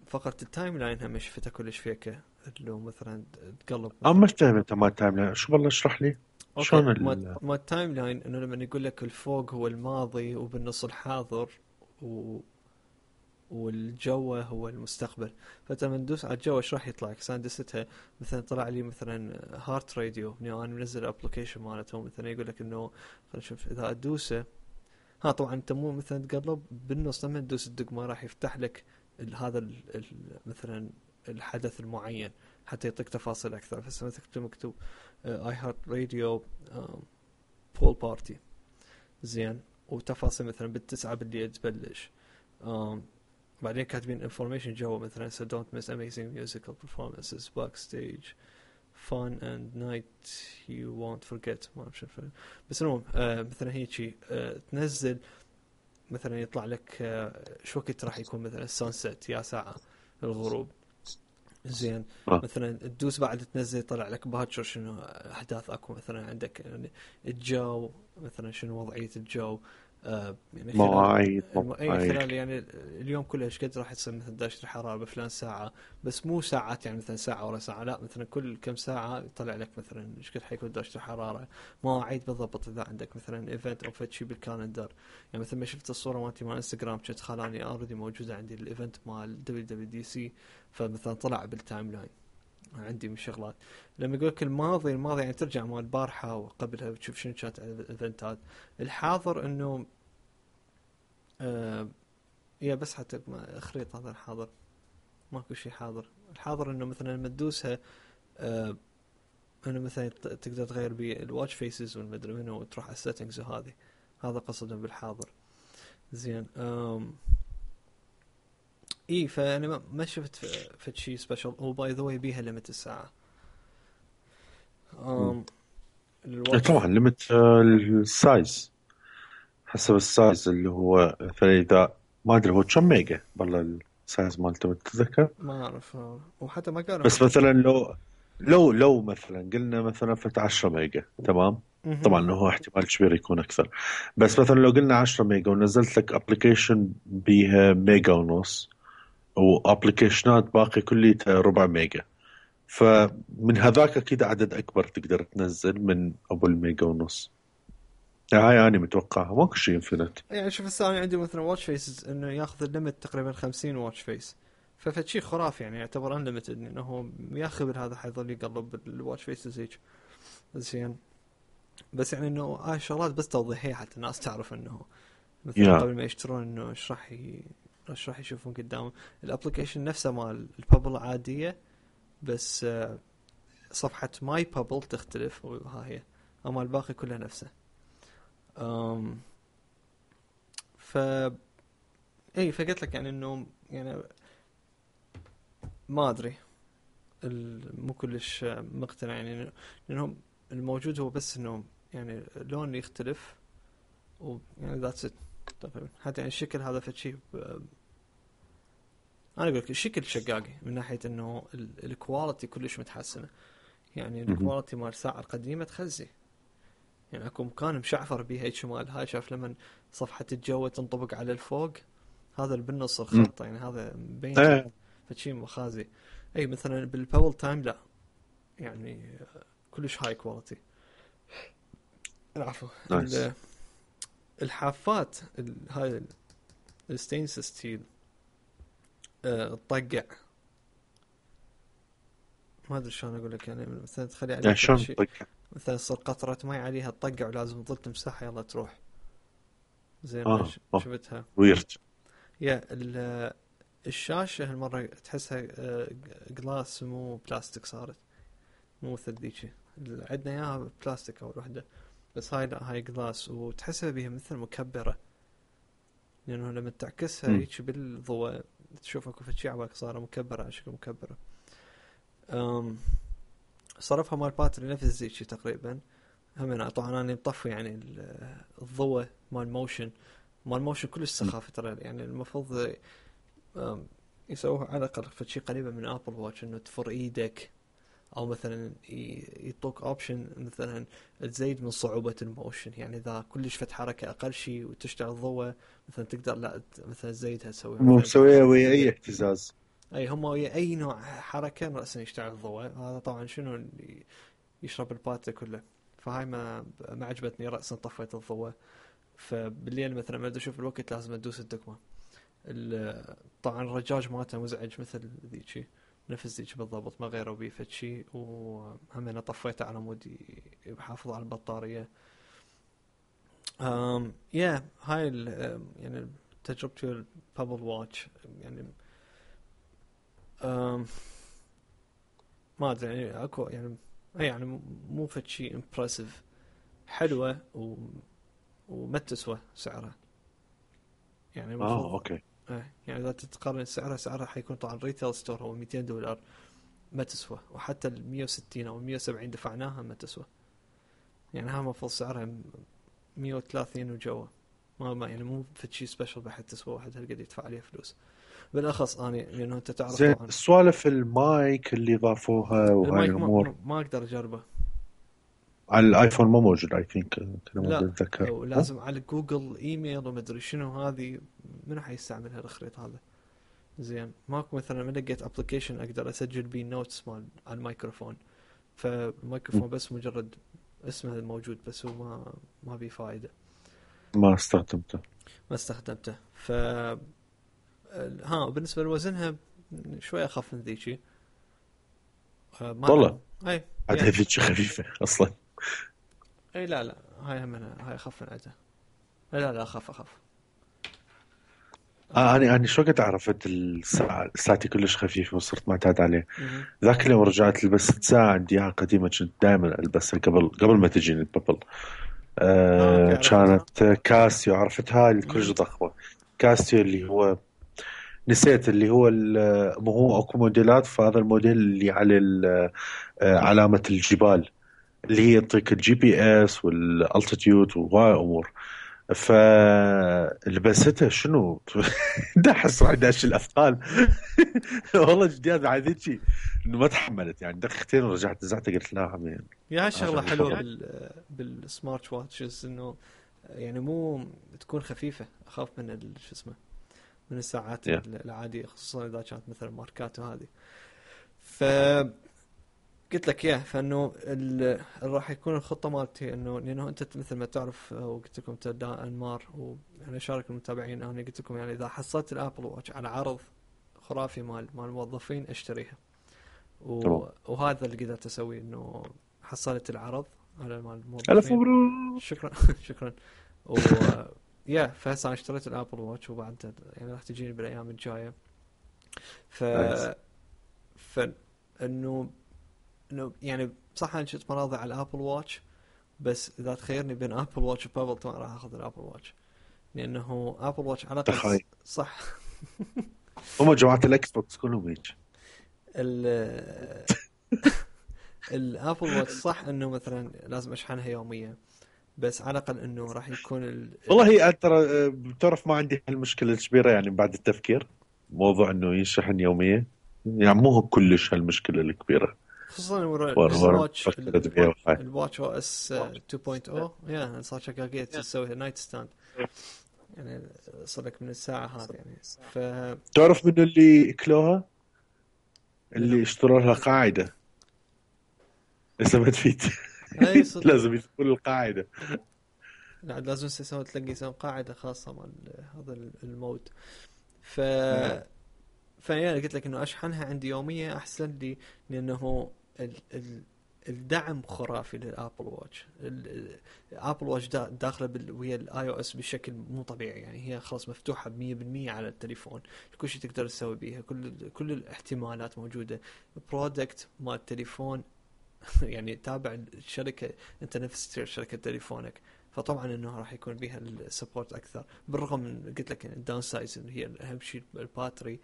فقرة التايم لاين هم شفتها كلش فيكة، اللي هو مثلا تقلب اما مثلا. فاهم انت ما تايم شو، والله اشرح لي اوكي، شلون ما التايم لاين انه لما يقول لك الفوق هو الماضي وبالنص الحاضر، و والجو هو المستقبل. فانت لما تدوس على الجو ايش راح يطلع لك؟ دستها مثلا طلع لي مثلا هارت راديو، اني انا منزل الابلكيشن مالته، مثلا يقول لك انه خلينا نشوف اذا ادوسه. طبعا انت مو مثلا تقلب بالنص لما تدوس الدقمه راح يفتح لك هذا مثلا الحدث المعين، حتى يعطيك تفاصيل اكثر. فهسه مثلا مكتوب اي هارت راديو بول بارتي، زين، وتفاصيل مثلا بالتسعة بالليل تبلش. بعدين كاتبين information جوا مثلا so don't miss amazing musical performances backstage fun and night you won't forget. ما أعرف شو بس المهم مثلا هيجي تنزل مثلا يطلع لك شو وقت راح يكون مثلا السانست يا ساعة الغروب. زين مثلا تدوس بعد تنزل يطلع لك باكر شنو احداث اكو مثلا عندك يعني الجو مثلا شنو وضعية الجو يعني مواعيد اي خلال يعني اليوم كله ايش قد راح يصير مثلا درجة الحرارة بفلان ساعة، بس مو ساعات يعني مثلا ساعة ورا ساعة، لا مثلا كل كم ساعة يطلع لك مثلا ايش قد حيكون درجة الحرارة، مواعيد بالضبط اذا عندك مثلا ايفنت او فد شيء بالكالندر. يعني مثلا ما شفت الصورة مالتي مال انستغرام كنت خلاني اوريدي موجودة عندي الايفنت مال WWDC، فمثلا طلع بالتايم لاين عندي من شغلات. لما يقول لك الماضي يعني ترجع مال البارحة وقبلها وتشوف شنو كانت الايفنتات. الحاضر انه يا بس حتى خريطة هذا الحاضر ماكو شيء حاضر. الحاضر انه مثلا لما تدوسها انه مثلا تقدر تغير بالواتش فيسز والمدري منه وتروح على السيتنجز وهذه، هذا قصدا بالحاضر. زين اي فانا ما شفت في شيء سبيشل. وباي ذا واي بيها ليمت الساعه. طبعا ليمت السايز حسب السايز اللي هو مثلا اذا ما ادري هو كم ميجا والله السايز مالته متذكر. ما اعرف وحتى ما قالوا بس مثلا لو مثلا قلنا مثلا فت 10 ميجا تمام. طبعا هو احتمال كبير يكون اكثر، بس مثلا لو قلنا 10 ميجا ونزلت لك ابلكيشن بيها ميجا ونص وابلكيشنات باقي كليتها ربع ميجا، فمن هذاك اكيد عدد اكبر تقدر تنزل من ابو الميجا ونص. هاي انا متوقعها ماكو شيء انفنت. يعني شوف الثاني عندي مثلا واتش فيسز انه ياخذ الليمت تقريبا 50 واتش فيس، فشي خرافي يعني يعتبر انليمتد انه هو ياخذ هذا حيظل يقلب الواتش فيسز هيك. زين بس يعني انه هاي الشغلات بس توضيحيه حتى الناس تعرف انه مثلا يا قبل ما يشترون انه ايش راح يشوفون قدامهم. الابلكيشن نفسه مال البابل عاديه، بس صفحه ماي بابل تختلف وها هي، اما الباقي كله نفسه. ف اي فقلت لك يعني انه يعني ما ادري مو كلش مقتنع يعني لانهم الموجود هو بس انه يعني لون يختلف ويعني ذاتس ات تقريبا. حتى يعني الشكل هذا فشي انا اقول لك الشكل شقاقي من ناحيه انه الكواليتي كلش متحسنه. يعني الكواليتي مال الساعه القديمه تخزي، يعني اكو مكان مشعفر بيها هيك شمال هاي شاف لما صفحه الجو تنطبق على الفوق هذا اللي بالنص الخط يعني هذا مبين فشي مخازي. اي مثلا بالباول تايم لا يعني كلش هاي كواليتي. العفو نايس. الحافات هاي الستينلس ستيل تطقع ما ادري شلون اقول لك يعني مثلا تخلي عليها شلون شيء مثلا تصير قطرة ماي عليها تطقع ولازم تظل تمسحها يلا تروح. زين شفتها ويرد. يا الشاشة هالمرة تحسها جلاس مو بلاستيك صارت، مو مثل ذيك عندنا اياها بلاستيك اول وحدة، بس هاي لا هاي جلاس وتحسها بيها مثل مكبرة، لانه لما تعكسها هيك بالضوء تشوفها كل شيء عباك صارت مكبرة على شكل مكبرة. صرفها مال باتري نفس زيك تقريبا هم طبعا انا مطفي يعني الضوء مال موشن كلش سخافة ترى يعني المفروض يسووها على الاقل شيء قريبه من ابل واتش انه تفر ايدك او مثلا يعطوك اوبشن مثلا تزيد من صعوبة الموشن، يعني اذا كلش فت حركة اقل شيء وتشتغل ضوء مثلا تقدر لا مثلا تزيدها تسويها مو مثلا مسويها ويا اي اهتزاز. اي هم ويا اي نوع حركة رأسا يشتغل ضوء. هذا طبعا شنو اللي يشرب الباتة كله، فهاي ما عجبتني رأسا طفيت الضوء. فبالليل مثلا ما اشوف الوقت لازم ادوس الدكمة. طبعا الرجاج مالته مزعج مثل ذيك نفس ذيك بالضبط ما غيروا بيه فد شيء، وهم انا طفيته على مود يحافظ على البطارية. يا هاي يعني تجربتي البابل واتش يعني ما ادري يعني اكو يعني مو فد شيء امبرسيف حلوة وما تسوى سعرها يعني المفروض اوكي. يعني اذا تتقارن سعرها حيكون طبعا ريتيل ستور هو $200 ما تسوى، وحتى ال 160 او 170 دفعناها ما تسوى، يعني ها المفروض سعرها 130 وجوا. ما يعني مو في شيء سبيشل بحد تسوى واحد هالقد يدفع عليه فلوس. بالاخص اني لانه انت تعرف زين طبعا سوالف المايك اللي ضافوها وهاي المايك الامور ما اقدر اجربه. على الايفون ما موجود اي ثينك كذا ما لا اتذكر. ولازم على جوجل ايميل ومدري شنو هذه، منو حيستعمل هالخريط هذا؟ زين ماكو مثلا ما لقيت ابلكيشن اقدر اسجل بيه نوتس مال على الميكروفون، فالميكروفون بس مجرد اسمه موجود بس هو ما بيه فائده. ما استخدمته. ما استخدمته. ها بالنسبه لوزنها شوي اخف من ذيك. ما والله اي عاد يعني. هذيك خفيفه اصلا. اي لا هاي منها هاي اخف من عدها. لا اخف. انا شو وقت عرفت الساعه ساعتي كلش خفيفه وصرت معتاد عليه. مهم. ذاك اليوم رجعت لبست ساعه عندي اياها قديمه كنت دائما البسها قبل ما تجيني البابل. اوكي عرفتها. كانت كاسيو، عرفتها اللي كلش مم. ضخمه. كاسيو اللي هو نسيت اللي هو مو هو اكو موديلات، فهذا الموديل اللي على علامه الجبال اللي هي تعطيك الجي بي اس والالتيتيود وهاي امور. فلبستها شنو دحس راح داش الاثقال. والله جديد بعد هيك انه ما تحملت يعني دقيقتين ورجعت نزعت قلت لا عمي. يا هالشغله عشان حلوه الفضل. بالسمارت واتشز انه يعني مو تكون خفيفه، اخاف من شو اسمه من الساعات Yeah. العاديه، خصوصا اذا كانت مثلا ماركات وهذه. ف قلت لك اياه، فانه راح يكون الخطه مالتي انه لانه انت مثل ما تعرف وقلت لكم تبدا انمار وانا اشارك المتابعين، انا قلت لكم يعني اذا حصلت الابل واتش على عرض خرافي مال الموظفين اشتريها. تمام. وهذا اللي قدرت اسويه، انه حصلت العرض على مال الف الموظفين. مبروك. شكرا شكرا. و يا فهسه انا اشتريت الابل واتش وبعد يعني راح تجيني بالايام الجايه. ف نايس. ف انه يعني صح انا شفت مناظر على الابل واتش، بس اذا تخيرني بين ابل واتش وبابل طبعا راح اخذ الابل واتش، لانه ابل واتش على الاقل تخيل صح. هم جماعه الاكس بوكس كلهم هيك. ال الابل واتش صح انه مثلا لازم اشحنها يوميا، بس على الاقل انه راح يكون والله هي ترى بتعرف ما عندي هالمشكله الكبيره يعني بعد التفكير موضوع انه ينشحن يوميا، يعني مو كلش هالمشكله الكبيره. خصوصا ورا الواتش فكرت بيها وهاي. الواتش او اس 2.0 يا صار شقاقية تسوي نايت ستاند، يعني صار لك من الساعة هذه يعني. ف تعرف منو اللي اكلوها؟ منو؟ اللي اشتروا لها قاعده اذا ما تفيد. اي صدق. لازم يسوون القاعده. لا لازم تلاقي يسوي قاعدة خاصة مال هذا المود. ف فيعني قلت لك انه اشحنها عندي يومية احسن لي، لانه الدعم خرافي للابل واتش. الابل واتش داخله ويا الاي او اس بشكل مو طبيعي، يعني هي خلاص مفتوحه 100% على التليفون، كل شيء تقدر تسوي بيها، كل الاحتمالات موجوده. برودكت مال التليفون يعني تابع الشركه، انت نفس شركه تليفونك، فطبعا انه راح يكون بيها السبورت اكثر. بالرغم من قلت لك الداون سايز اللي هي اهم شيء الباتري،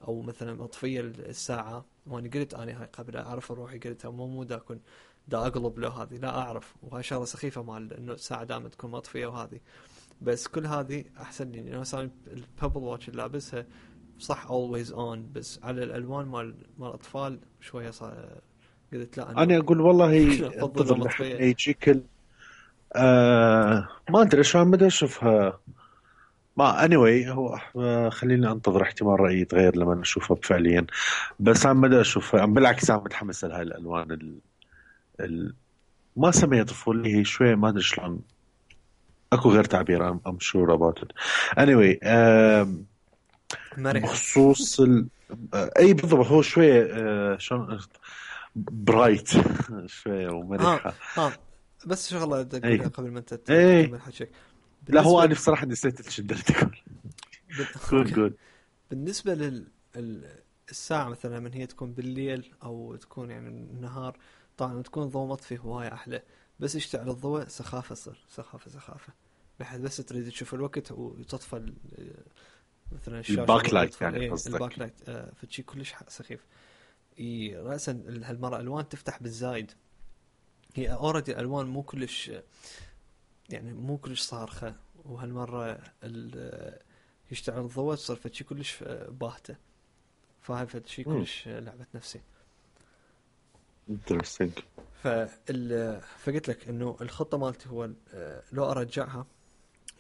او مثلا مطفيه الساعه. وانا قلت انا هاي قبل اعرف روحي قلتها مو دا اكون دا اقلب له هذه، لا اعرف، وهاي شغله سخيفه مال انه الساعه دائما تكون مطفيه وهذه. بس كل هذه احسن لي، لانه مثلا البابل واتش اللي لابسها صح اولويز اون، بس على الالوان مال الاطفال شويه صار قلت لا انا انه اقول والله افضل لو انتظر لحد ما مطفيه. يجيك ما ادري شو عم بدي اشوفها. ما anyway هو خليني انتظر احتمال رايي يتغير لما اشوفها فعليا. بس عم بدي اشوفها، عم بالعكس عم متحمس لهاي الالوان ال... ما سميها طفولي، هي شوي ما ادري شلون، اكو غير تعبير. I'm sure about it. anyway مرحه. بخصوص اي بالضبط هو شوي شلون برايت شوية ومرحة. ها بس شغله بدي اي اقولها قبل ما انت اي تكمل حكيك. لا هو بالنسبه انا بصراحة نسيت ايش قدرت اقول. قول اوكي. قول. بالنسبة الساعة مثلا من هي تكون بالليل أو تكون يعني النهار، طبعا تكون ضوء مطفي هواية أحلى، بس يشتعل الضوء سخافة، صر سخافة، بحيث بس تريد تشوف الوقت وتطفى مثلا الشاشة الباك أول ما لايت تطفى يعني إيه الباك قصدك؟ لايت. فشي كلش سخيف. رأسا هالمرة ألوان تفتح بالزايد، هي أوريدي الألوان مو كلش يعني مو كلش صارخة، وهالمره يشتغل الضوء تصير فشي كلش باهته. فهاي فشي كلش لعبه نفسي. انترستنج. فقلت لك انه الخطه مالتي هو لو ارجعها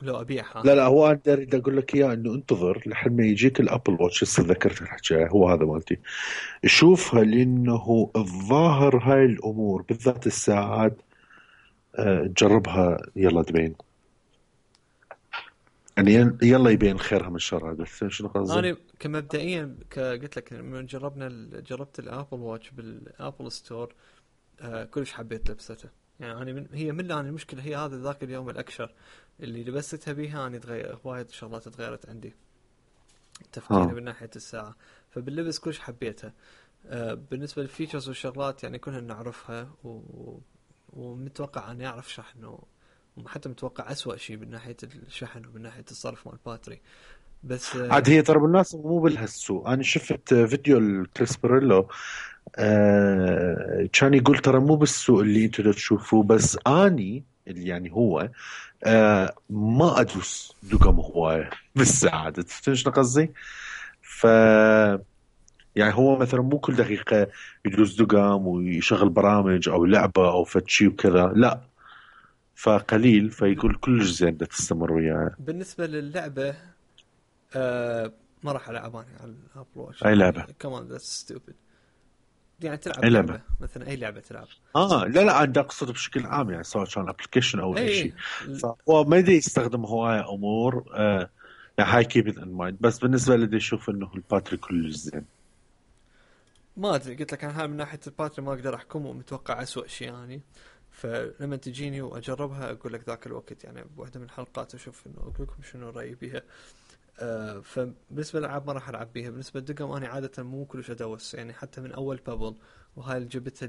لو ابيعها. لا هو انا اريد اقول لك اياه انه انتظر لحد ما يجيك الابل واتش. هسه ذكرت الحكي هو هذا مالتي. شوفها لانه الظاهر هاي الامور بالذات الساعات جربها يلا تبين. يعني يلا يبين خيرها من شرها. بس شنو قصدي؟ انا كمبدئيا قلت لك من جربت الابل واتش بالابل ستور. كلش حبيت لبسته. يعني انا هي من الان المشكله هي هذا ذاك اليوم الاكشر اللي لبستها بيها. انا تغير وايد شغلات تغيرت عندي تفكيري من ناحيه الساعه. فباللبس كلش حبيتها. بالنسبه للفيتشرز والشغلات يعني كلها نعرفها ومتوقع اني اعرف شحن وحتى متوقع أسوأ شيء من ناحيه الشحن ومن ناحيه الصرف مال الباتري. بس عاد هي ترى بالناس مو بهالسوء. انا شفت فيديو الكريس باريلو كان يقول ترى مو بالسوء اللي انتوا تشوفوه. بس اني اللي يعني هو ما ادوس دقم هوايه بالساعه. تفهم شنو قصدي؟ ف يعني هو مثلا مو كل دقيقه يدوس دقم ويشغل برامج او لعبه او فتشي وكذا. لا فقليل. فيقول كلش زين بدك تستمر وياه. بالنسبه للعبه ما راح العب انا على الابل واتش. اي لعبه؟ كمان ذاتس ستوبد. يعني تلعب اي لعبه لعبه؟ مثلا اي لعبه تلعب. لا انا اقصد بشكل عام يعني سواء كان ابلكيشن او اي شيء. اي فهو ما يدري يستخدم هواية امور يعني هاي كيب ان مايند. بس بالنسبه لي يشوف انه الباتري كلش زين. ما ادري قلت لك انا هاي من ناحيه الباتري ما اقدر احكم ومتوقع اسوأ شيء يعني. فلما تجيني واجربها اقول لك ذاك الوقت يعني بواحده من الحلقات اشوف انه اقول لكم شنو رايي بيها. فبالنسبه للالعاب ما راح العب بيها. بالنسبه للدقم انا عاده مو كلش ادوس يعني حتى من اول بابل. وهاي اللي جبتها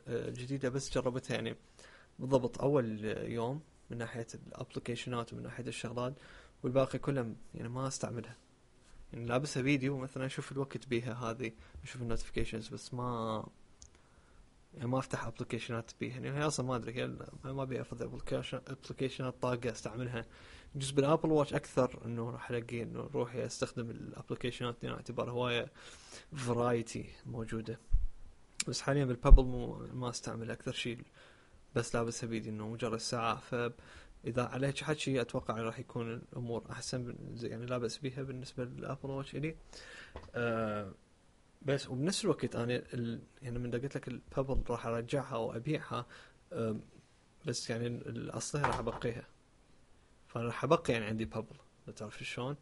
الجديده بس جربتها يعني بالضبط اول يوم من ناحيه الابلكيشنات ومن ناحيه الشغلات. والباقي كله يعني ما استعملها. يعني لابسها فيديو مثلا اشوف الوقت بيها هذه اشوف النوتيفيكيشنز بس ما يعني ما افتح ابلكيشنات بيها. يعني هي اصلا ما ادري هي ما ابي افضل ابلكيشنات طاقه استعملها. يجوز بالابل واتش اكثر انه راح الاقي انه روحي استخدم الابلكيشنات لان اعتبار هوايه فرايتي موجوده. بس حاليا بالبابل ما استعمل اكثر شيء. بس لابسها بيدي انه مجرد ساعه. فاذا على هيك حكي اتوقع راح يكون الامور احسن يعني لابس بيها بالنسبه للابل واتش الي. بس وبنفس الوقت انا يعني من قلت لك البابل راح ارجعها او ابيعها. بس يعني الاصلها راح ابقيها. فانا راح ابقي يعني عندي بابل. تعرف شلون؟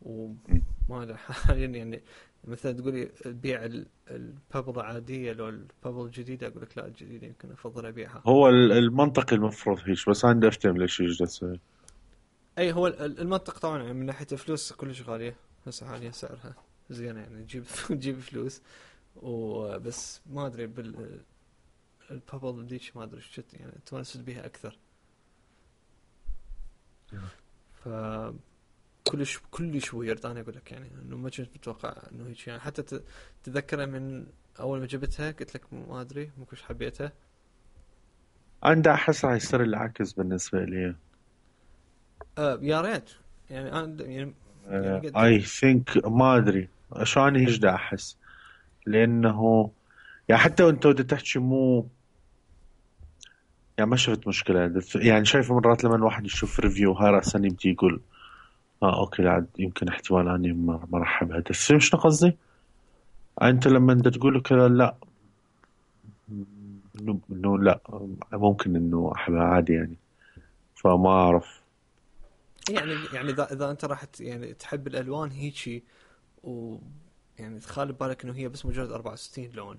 وما ادري حاليا يعني مثلا تقولي بيع البابل العاديه لو البابل الجديده اقول لك لا الجديده يمكن افضل ابيعها. هو المنطق المفروض هيك. بس انا افتهم ليش يجلس. اي هو المنطق طبعا يعني من ناحيه الفلوس كلش غاليه. هسه حاليا سعرها زين يعني تجيب فلوس. وبس ما ادري البابل ديش ما ادري ايش يعني تونست بيها اكثر. ف كلش ويرد. انا اقول لك يعني انه ما كنت متوقع انه هيك يعني حتى تذكرها من اول ما جبتها قلت لك ما ادري مو كلش حبيتها. انا احس راح يصير العكس بالنسبه لي. يا ريت يعني انا يعني اي ثينك ما ادري شلون هيك دا احس. لانه يعني حتى وانت بدك تحكي مو يعني ما شفت مشكله. يعني شايف مرات لما الواحد يشوف ريفيو هاي راسا يبدي يقول اوكي لا يمكن احتمال اني ما راح احبها. تفهم شنو قصدي؟ انت لما انت تقول كذا لا انه لا ممكن انه احبها عادي يعني. فما اعرف يعني اذا انت راح يعني تحب الالوان هيجي ويعني تخيل ببالك انه هي بس مجرد 64 لون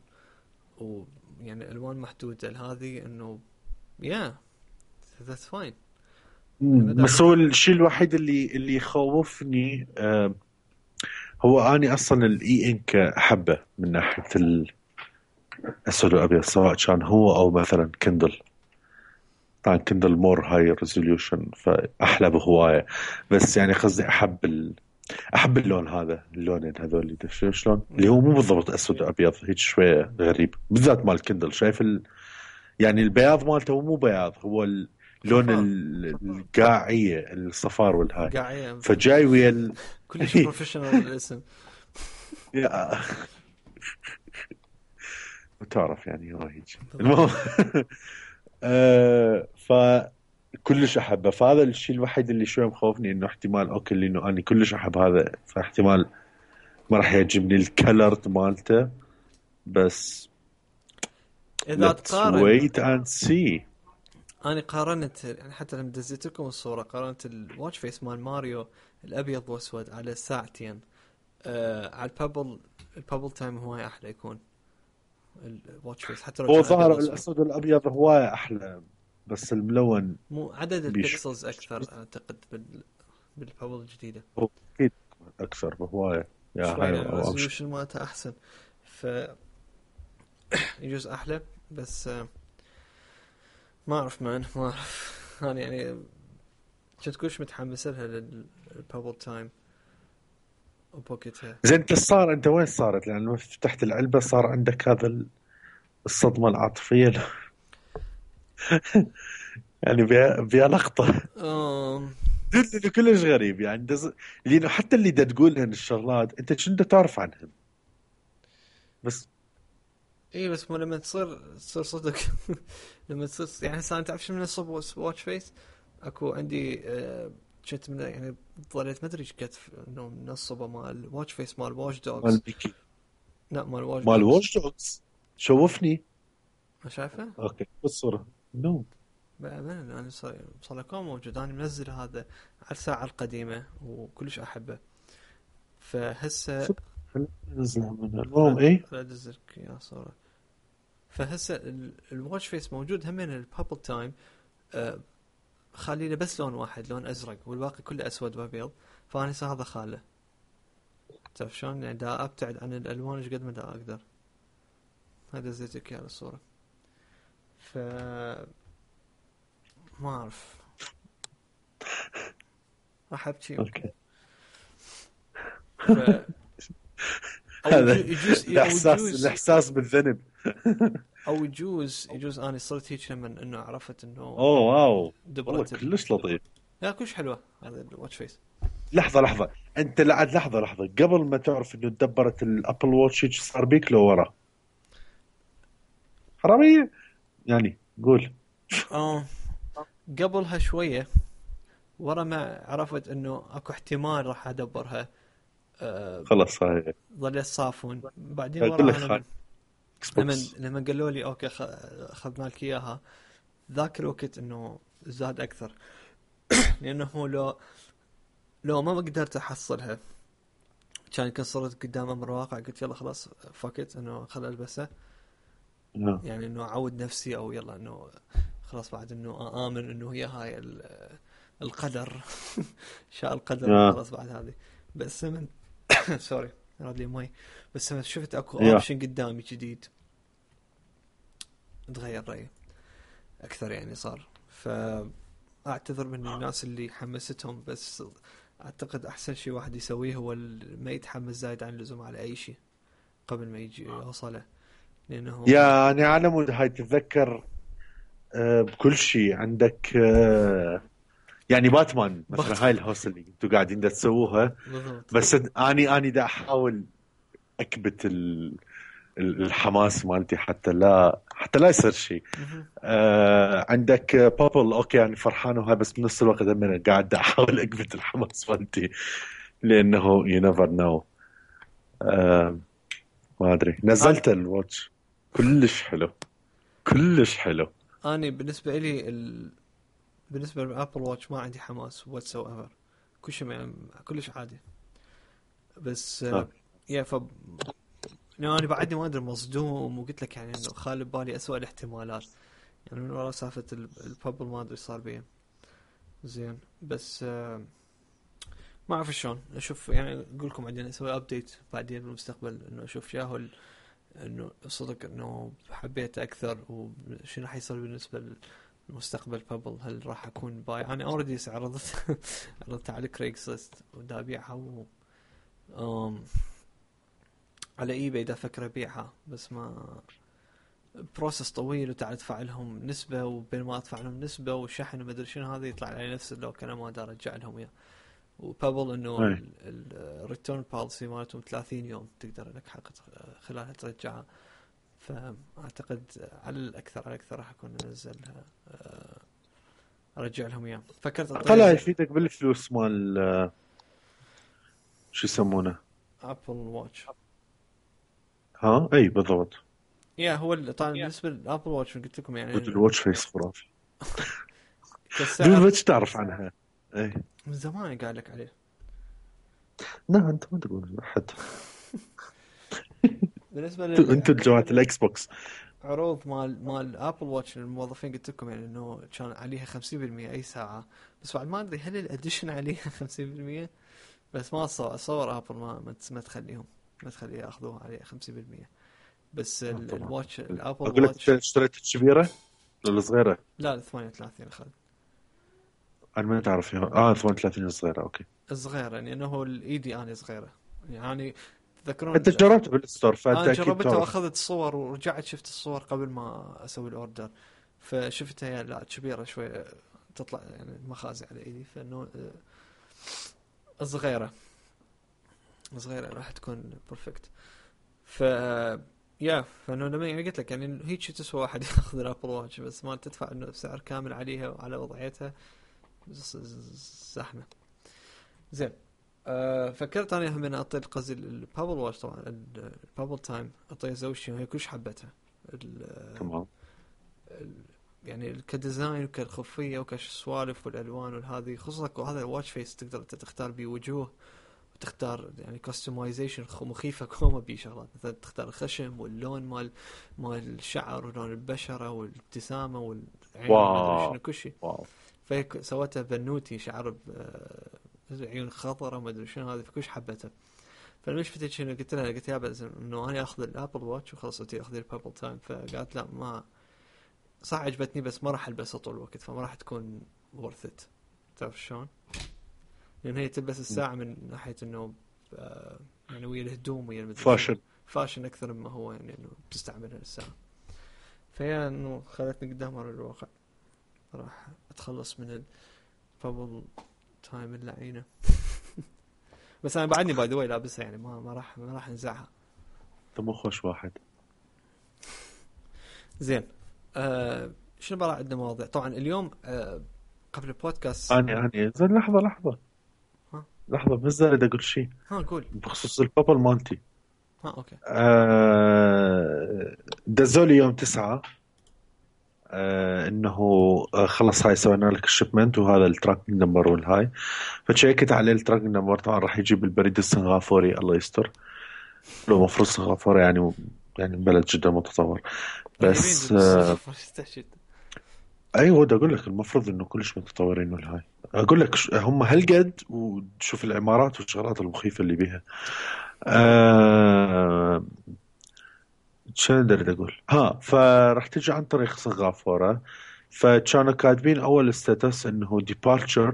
ويعني الوان محدوده هذه انه ذاتس فاين. بس هو الشيء الوحيد اللي يخوفني هو اني اصلا الاي انك احبه من ناحيه الاسود والابيض سواء كان هو او مثلا كندل. طبعا كندل مور هاي ريزوليوشن فاحلى بهوايه. بس يعني قصدي احب اللون هذا اللونين هذول تفهم شلون اللي هو مو بالضبط اسود وابيض هيك شويه غريب بالذات مال كندل. شايف يعني البياض مالته مو بياض هو لون صفار القاعية الصفار والهاي. قاعية فجاي ويا كلش بروفيشنال الاسم. يا- وتعرف يعني هو هيك المهم. فكلش احبه، فهذا الشيء الوحيد اللي شوي مخوفني، انه احتمال اوكي لانه انا كلش احب هذا، فاحتمال ما راح يعجبني الكلر مالته. بس اذا let's تقارن، wait and see. انا قارنت يعني حتى لما دزيت لكم الصورة قارنت الواتش فيس مال ماريو الابيض واسود على ساعتين، على البابل تايم هواي احلى يكون الواتش فيس حتى لو هو كان ابيض ظهر واسود. الاسود والابيض هواية احلى، بس الملون مو عدد بيش البكسلز اكثر اعتقد بالبابل الجديدة هو اكيد اكثر بهواية. يا شوي، هاي يعني او امشي. الريزولوشن مالتها احسن، ف يجوز احلى. بس ما اعرف ما اعرف انا يعني كنت كلش متحمس لها للبابل تايم وبوكيتها. زين انت صار انت وين صارت؟ لان لما فتحت العلبة صار عندك هذا الصدمة العاطفية. يعني بيها لقطة. أم... اللي كلش غريب يعني لانه حتى اللي دا تقولهن الشغلات انت شنو دا تعرف عنهم بس. اي بس مو لما تصير صدق لما تصير يعني هسه انت تعرف شو من الصب واتش فيس. اكو عندي كنت من يعني ظليت ما ادري ايش قد انه من الصبه مال واتش فيس مال واتش مال دوجز. بيكي لا مال واتش مال دوجز. واتش دوجز شوفني. ما شايفه؟ اوكي بالصورة نو. بأمانة أنا صار كم موجود. أنا منزل هذا على الساعة القديمة وكلش أحبه. فهسه نزلها منها المهم ايه. لا أدزلك يا صورة. فهسه الواتش فيس موجود همين البابل تايم. خالي له بس لون واحد لون أزرق والباقي كله أسود وأبيض. فأنا هسه هذا خاله. تعرف شلون يعني دا أبتعد عن الألوان إيش قد ما دا أقدر. هذا زيتك يا الصورة. ف ما أعرف راح أبكي يمكن. اوكي ف او هذا يجوز الاحساس بالذنب. او يجوز انا صرت هيك لما انه عرفت انه اوه واو والله دبرت كلش لطيف. لا كلش حلوه هذا الواتش فيس. لحظة انت لعد لحظة قبل ما تعرف انه تدبرت الابل واتش هيك صار بيك لو ورا حرامية يعني قول. اه قبلها شويه ورا ما عرفت انه اكو احتمال راح ادبرها. خلص هاي ظليت صافون بعدين اقول لك وراها خان اكس بوكس. لما قالوا لي اوكي اخذنا لك اياها ذاك الوقت انه زاد اكثر. لانه لو ما قدرت احصلها كان صرت قدام امر واقع قلت يلا خلاص فكت انه خل البسه. يعني انه اعود نفسي او يلا انه خلاص بعد انه امن انه هي هاي القدر شاء القدر خلاص بعد هذه. بس من سوري راد لي مي. بس لما شفت اكو اوبشن قدامي جديد تغير رايي اكثر يعني صار. فاعتذر من الناس اللي حمستهم بس اعتقد احسن شيء واحد يسويه هو ما يتحمس زايد عن اللزوم على اي شيء قبل ما يجي يوصله. لانه يعني على مود هاي تتذكر بكل شيء عندك يعني باتمان مثلا هاي الهوس اللي انتم قاعدين دا تسووها. بس اني دا احاول اكبت الحماس مالتي حتى لا يصير شيء. عندك بابل اوكي يعني فرحان وهاي بس بنفس الوقت انا قاعد دا احاول اكبت الحماس مالتي لانه you never know. ما ادري نزلت الواتش كلش حلو كلش حلو. أنا بالنسبة لي بالنسبة للأبل واتش ما عندي حماس whatsoever. كل شيء كلش عادي. بس يا أنا بعدني ما أدري مصدوم وقلت لك يعني إنه خالي ببالي أسوأ الاحتمالات يعني من وراء سالفة البابل ما أدري صار بيه زين. بس ما أعرف شلون أشوف يعني أقول لكم عندنا أسوي أبديت بعدين بالمستقبل إنه أشوف ياهو انه صدق انه حبيت اكثر وشنو راح يصير بالنسبه للمستقبل بابل. هل راح اكون باي انا اوريدي عرضت على كريكسلست ودا ابيعها على اي باي دا فكر ابيعها بس ما بروسس طويل وتعال تدفع لهم نسبه، وبين ما ادفع لهم نسبه وشحن وما ادري شنو هذا يطلع علي نفس اللوك انا ما ادري ارجع لهم اياه. وبابل انه الريتيرن بوليسي مالتهم 30 يوم تقدر لك حق خلالها ترجعها. فاعتقد على الاكثر راح اكون انزلها ارجع لهم اياه. فكرت طلع يفيدك بالفلوس مال شو يسمونه ابل واتش. ها اي بالضبط. يا هو طبعا بالنسبه للابل واتش قلت لكم يعني الواتش فيس خرافي. كالسعر ما تعرف عنها اي من زمان قاعد لك عليه. لا انت ما تقول احد. بالنسبه انت جماعه الاكس بوكس عروض مال ابل واتش للموظفين قلت لكم يعني انه كان عليها 50% اي ساعه، بس بعد ما ادري هل الاديشن عليها 50%، بس ما اصور ابل ما تخليهم ما تخليه ياخذوها عليه 50%. بس الواتش الابل اقول لك واتش اشتريت الكبيره ولا الصغيره؟ لا 38 اخذ. انا ما تعرف 38 الصغيره. اوكي الصغيره يعني انه الايدي انا صغيره يعني تذكرون انت جربت بالستور فانت انا اكيد جربتها تعرف. واخذت صور ورجعت شفت الصور قبل ما اسوي الاوردر، فشفتها يعني لا كبيره شوي تطلع يعني المخازن على ايدي، فانه صغيره راح تكون بيرفكت. ف يا فانه لما يعني قلت لك يعني هيك تسوى واحد ياخذ الابل واتش بس ما تدفع انه سعر كامل عليها وعلى وضعيتها زحمه. زين فكرت انا هم اعطي قصدي البابل واتش طبعا البابل تايم اعطيها زوجتي وهي كلش حبتها. تمام. يعني كديزاين وكالخفيه وكالسوالف والالوان والهذه خصوصا هذا الواتش فيس تقدر تختار بيه وجوه وتختار يعني كاستمايزيشن مخيفه كوما بيه شغلات مثلا تختار الخشم واللون مال الشعر ولون البشره والابتسامه والعين وما شنو كل شيء. فهي سوتها بنوتي شعر عيون خضراء ما ادري شنو هذه فكلش حبتها. فلما شفتها شنو قلت لها بس انه انا اخذ الابل واتش وخلاص انتي اخذي البابل تايم. فقالت لا ما صح عجبتني بس ما راح البسها طول الوقت فما راح تكون worth it. تعرف شلون؟ لان هي تلبس الساعه من ناحيه انه يعني ويا الهدوم ويا فاشن اكثر مما هو يعني انه بتستعملها الساعه. فهي انه خلتني قدام على الواقع راح اتخلص من البابل تايم اللعينه. بس انا بعدني باي ذا واي لابسها يعني ما راح انزعها. انت مو خوش واحد. زين شنو بقى عندنا مواضيع طبعا اليوم قبل البودكاست. اني زين لحظه بس اريد اقول شيء. قول بخصوص البابل مالتي. اوكي. دزولي يوم 9 انه خلص هاي سوينا لك الشipment وهذا التراكنج نمبر والهاي. فتشيكت عليه التراكنج نمبر طبعا راح يجيب البريد السنغافوري الله يستر. لو مفروض سنغافورة يعني بلد جدا متطور بس ايوه ده اقول لك المفروض انه كلش متطورين والهاي. اقول لك هم هالقد وشوف العمارات والشغلات المخيفة اللي بيها. شو اقدر اقول فراح تجي عن طريق سنغافورة. فكانوا كاتبين اول ستاتس انه departure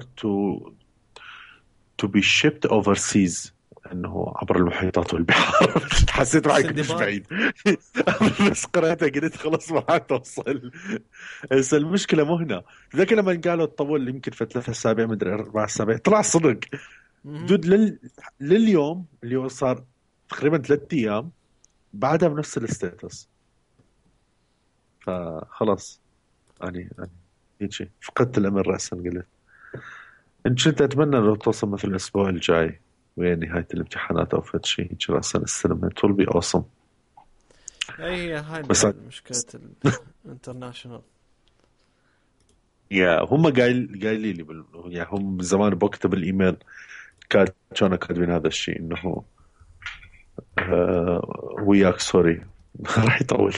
to be shipped overseas انه عبر المحيطات والبحار. حسيت راح يكون بعيد بس قرأتها قلت خلاص ما راح توصل. بس المشكلة مو هنا. ذاك لما قالوا تطول يمكن في 3 أسابيع مدري 4 أسابيع طلع صدق دود لليوم اللي هو صار تقريبا 3 أيام بعدها بنفس الستاتس. فخلاص أنا هيك فقدت الأمل رأسا قلت إن كنت أتمنى لو توصل مثل الأسبوع الجاي وين نهاية الامتحانات أو فد شيء هيك رأسا السلم it will be awesome. أي هاي مشكلة الانترناشنال. هم قايلين لي يعني هم زمان بكتب الإيميل كانوا كاتبين هذا الشيء إنه وياك سوري راح يطول.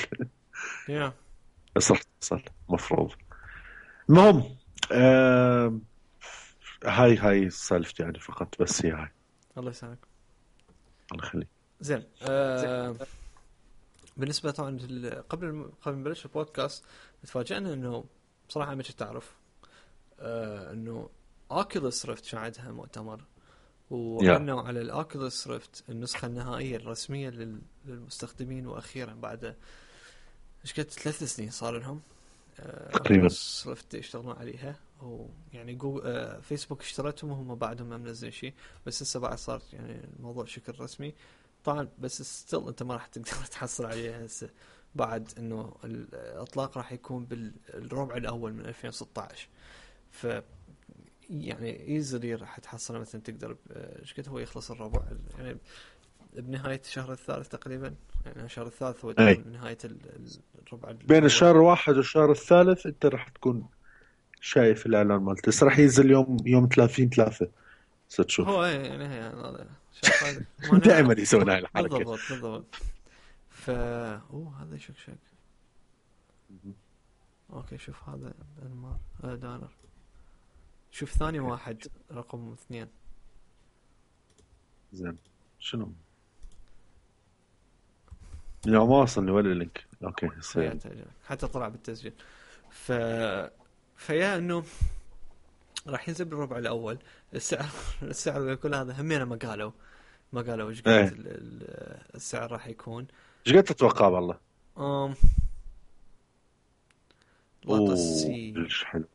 بس راح تصل مفروض. المهم هاي سالفتي يعني فقط بس هي هاي. الله يسلمك. الله يخليك. زين بالنسبة طبعا قبل نبلش البودكاست تفاجأنا انه بصراحة ما كنت تعرف انه اوكيولوس ريفت عندها مؤتمر وأعلنوا على الأوكيولوس ريفت النسخة النهائية الرسمية للمستخدمين. وأخيرا بعد ايش قد 3 سنين صار لهم تقريبا. اوكيولوس ريفت يشتغلون عليها، ويعني جوجل فيسبوك اشترتهم وهم بعدهم ما منزلين شيء، بس هسه بعد صار يعني الموضوع شكل رسمي طبعا. بس ستيل انت ما راح تقدر تحصل عليها هسه، بعد انه الاطلاق راح يكون بالربع الاول من 2016. ف يعني ايزلي راح تحصل مثلا تقدر ايش قد هو يخلص الربع يعني بنهاية الشهر الثالث تقريبا. يعني الشهر الثالث هو اي نهاية الربع بين الأول. الشهر الواحد والشهر الثالث انت راح تكون شايف الاعلان مالته. بس راح ينزل يوم 30/3 ستشوف. هو يعني هذا شغال ما دائما يسوون هاي الحركه. بالضبط. هذا شك. اوكي شوف هذا انمار دانر. شوف ثاني واحد رقم 2. زين شنو؟ لا ما وصلني ولا لينك. اوكي حتى طلع بالتسجيل. فيا انه راح ينزل بالربع الاول. السعر وكل هذا همينه ما قالوا ايش قد السعر راح يكون. ايش قد تتوقع والله؟ اوه حلو.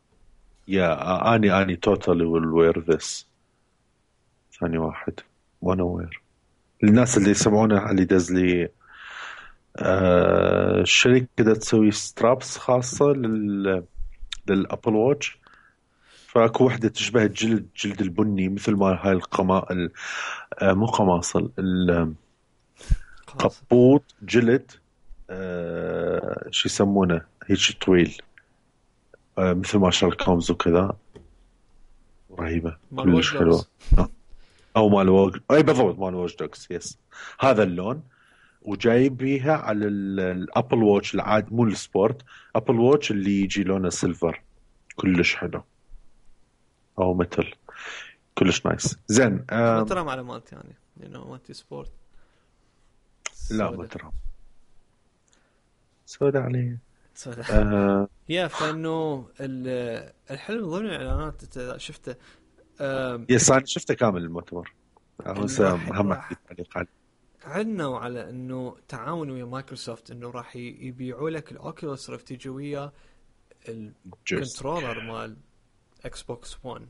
يا اني توتالي ويل وير ذس. ثاني واحد وانا وير. الناس اللي يسمعونه اللي دز لي الشركة كده تسوي سترابس خاصة للأبل واتش. فاكو وحدة تشبه جلد البني مثل ما هاي مو قماصل قبوط جلد شو يسمونه هيك طويل مثل ما شارلوك هولمز وكذا. رهيبة كلش حلوة. أو مال أي بالضبط مال واتش دوغز. يس هذا اللون. وجايب بيها على الابل واتش العاد مو السبورت. ابل واتش اللي يجي لونه سيلفر كلش حلو او مثل كلش نايس. زين ما ترى على مالتي يعني لانه مالتي سبورت. لا ما ترى سودا عليه يا فانه الحلو ضمن الاعلانات انت شفته. يس انا شفته كامل المؤتمر. اهم تعليق عندنا على انه تعاون ويا مايكروسوفت انه راح يبيعوا لك الاوكيولوس ريفت يجي ويا الكنترولر مال اكس بوكس 1.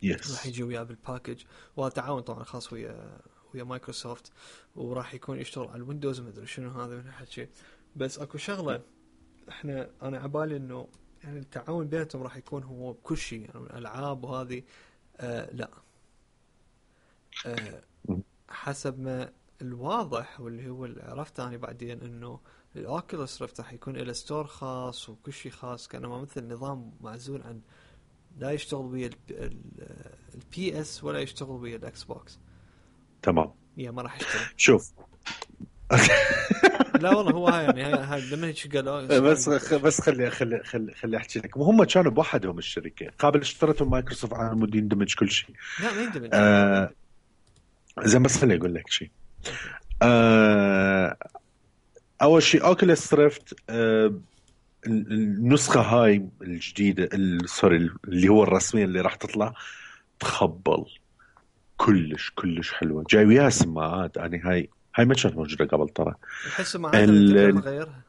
راح يجي وياه بالباكج. وهذا تعاون طبعا خاص ويا مايكروسوفت. وراح يكون يشتغل على الويندوز ما ادري شنو هذا من هالشيء. بس اكو شغله انا عبالي انه يعني التعاون بيناتهم راح يكون هو بكل شيء يعني الالعاب وهذه لا حسب ما الواضح واللي هو اللي عرفته أنا بعدين إنه الأوكيولوس ريفت راح يكون له ستور خاص وكل شيء خاص كأنه مثل نظام معزول عن لا يشتغل ويا البي اس ولا يشتغل ويا الأكس بوكس. تمام. يا ما راح يشتغل. شوف لا والله هو هاي لما هيك قالوا بس خلي احكي لك. هم كانوا بوحدهم الشركه قابل اشترتهم مايكروسوفت على مود يندمج كل شيء. لا ما يندمج. زين بس خليني اقول لك شيء. اول شيء اوكيولوس ريفت النسخه هاي الجديده سوري اللي هو الرسميه اللي راح تطلع تخبل كلش حلوه. جاي وياها سماعات. يعني هاي ما كانت موجوده قبل ترى. احس ما تقدر تغيرها.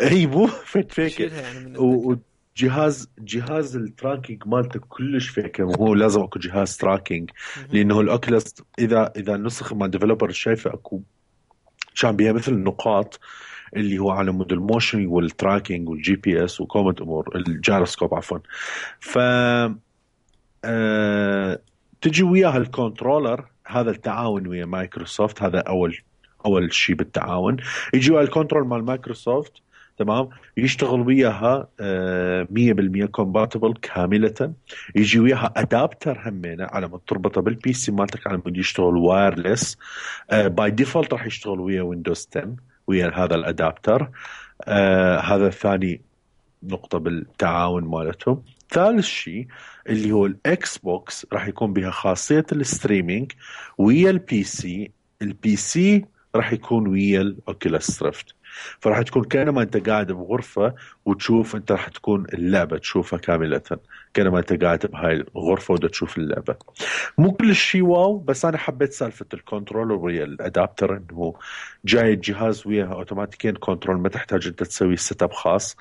اي مو فيك يعني وجهاز التراكينج مالته كلش فيك. وهو لازم اكو جهاز تراكينج لانه الاوكيولوس اذا النسخ مال ديفلوبر شايفه اكو كان بيها مثل النقاط اللي هو على مود الموشن والتراكينج والجي بي اس وكومنت امور الجيروسكوب عفوا. ف تجي وياها الكنترولر. هذا التعاون ويا مايكروسوفت. هذا اول شيء بالتعاون. يجي ويا الكنترول مال مايكروسوفت تمام. يشتغل وياها 100% كومباتبل كاملة. يجي وياها ادابتر همينة على ما تربطه بالبي سي مالتك على مود يشتغل وايرلس. باي ديفولت راح يشتغل ويا ويندوز 10 ويا هذا الادابتر. هذا ثاني نقطة بالتعاون مالتهم. ثالث شيء اللي هو الاكس بوكس راح يكون بها خاصية الستريمينج ويا البي سي راح يكون ويا الاوكيولوس ريفت. فراح تكون كأنما انت قاعد بغرفة وتشوف، انت راح تكون اللعبة تشوفها كاملة، كأنما انت قاعد بهاي الغرفة ودا تشوف اللعبة. مو كل شيء واو، بس انا حبيت سالفة الكنترولر ويا الادابتر، انه جاي الجهاز وياها اوتوماتيكيا كنترول، ما تحتاج انت تسوي سيت اب خاص.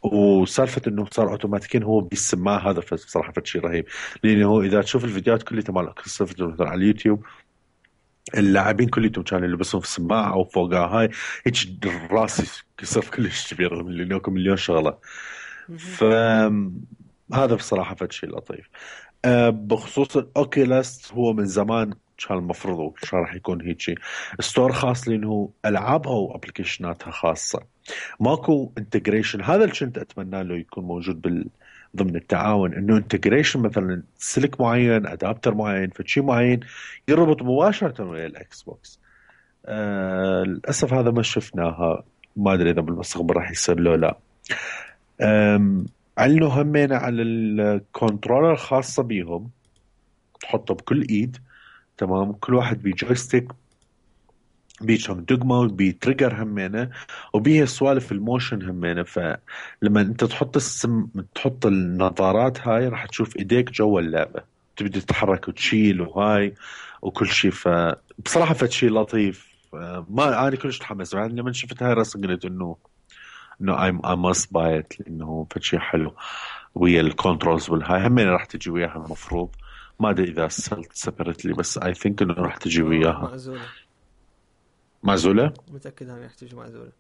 وسالفه انه صار اوتوماتيكيا هو بالسماعه، هذا بصراحه شيء رهيب. لانه اذا تشوف الفيديوهات كلها مال مثلا على اليوتيوب، اللاعبين كلهم كانوا يلبسون في السماعه او فوقها هاي، هيك الراس يصير كلش كبير لانه مليون شغله. فهذا بصراحه شيء لطيف. بخصوص الاوكيلاس، هو من زمان كان المفروض كان راح يكون هيك ستور خاص، لانه العابها وابلكيشناتها خاصه. ماكو انتجريشن، هذا اللي كنت اتمنى له يكون موجود ضمن التعاون، انه انتجريشن مثلا سلك معين، ادابتر معين، فشي معين يربط مباشره ويا الاكس بوكس. للاسف هذا ما شفناها، ما ادري اذا بالمستقبل راح يصير له لا. علنوا همين على الكنترولر الخاصه بيهم، تحطه بكل ايد، تمام، كل واحد بجويستيك، بيشم دقمة وبيتريجر همينة، وبيها سوالف الموشن همينة. فلما انت تحط النظارات هاي، راح تشوف ايديك جوا اللعبة، تبدي تتحرك وتشيل وهاي وكل شيء. فبصراحة شيء لطيف. ما انا كلش تحمس بعد لما شفت هاي الرسم، قلت انه I must buy it، لانه شيء حلو ويا الكنترولز والهاي همين راح تجي وياها المفروض. ما ادري اذا سلت سيبرتلي، بس اي ثينك انه راح تجي وياها معزولة. معزولة. متأكد انها يحتاج معزولة.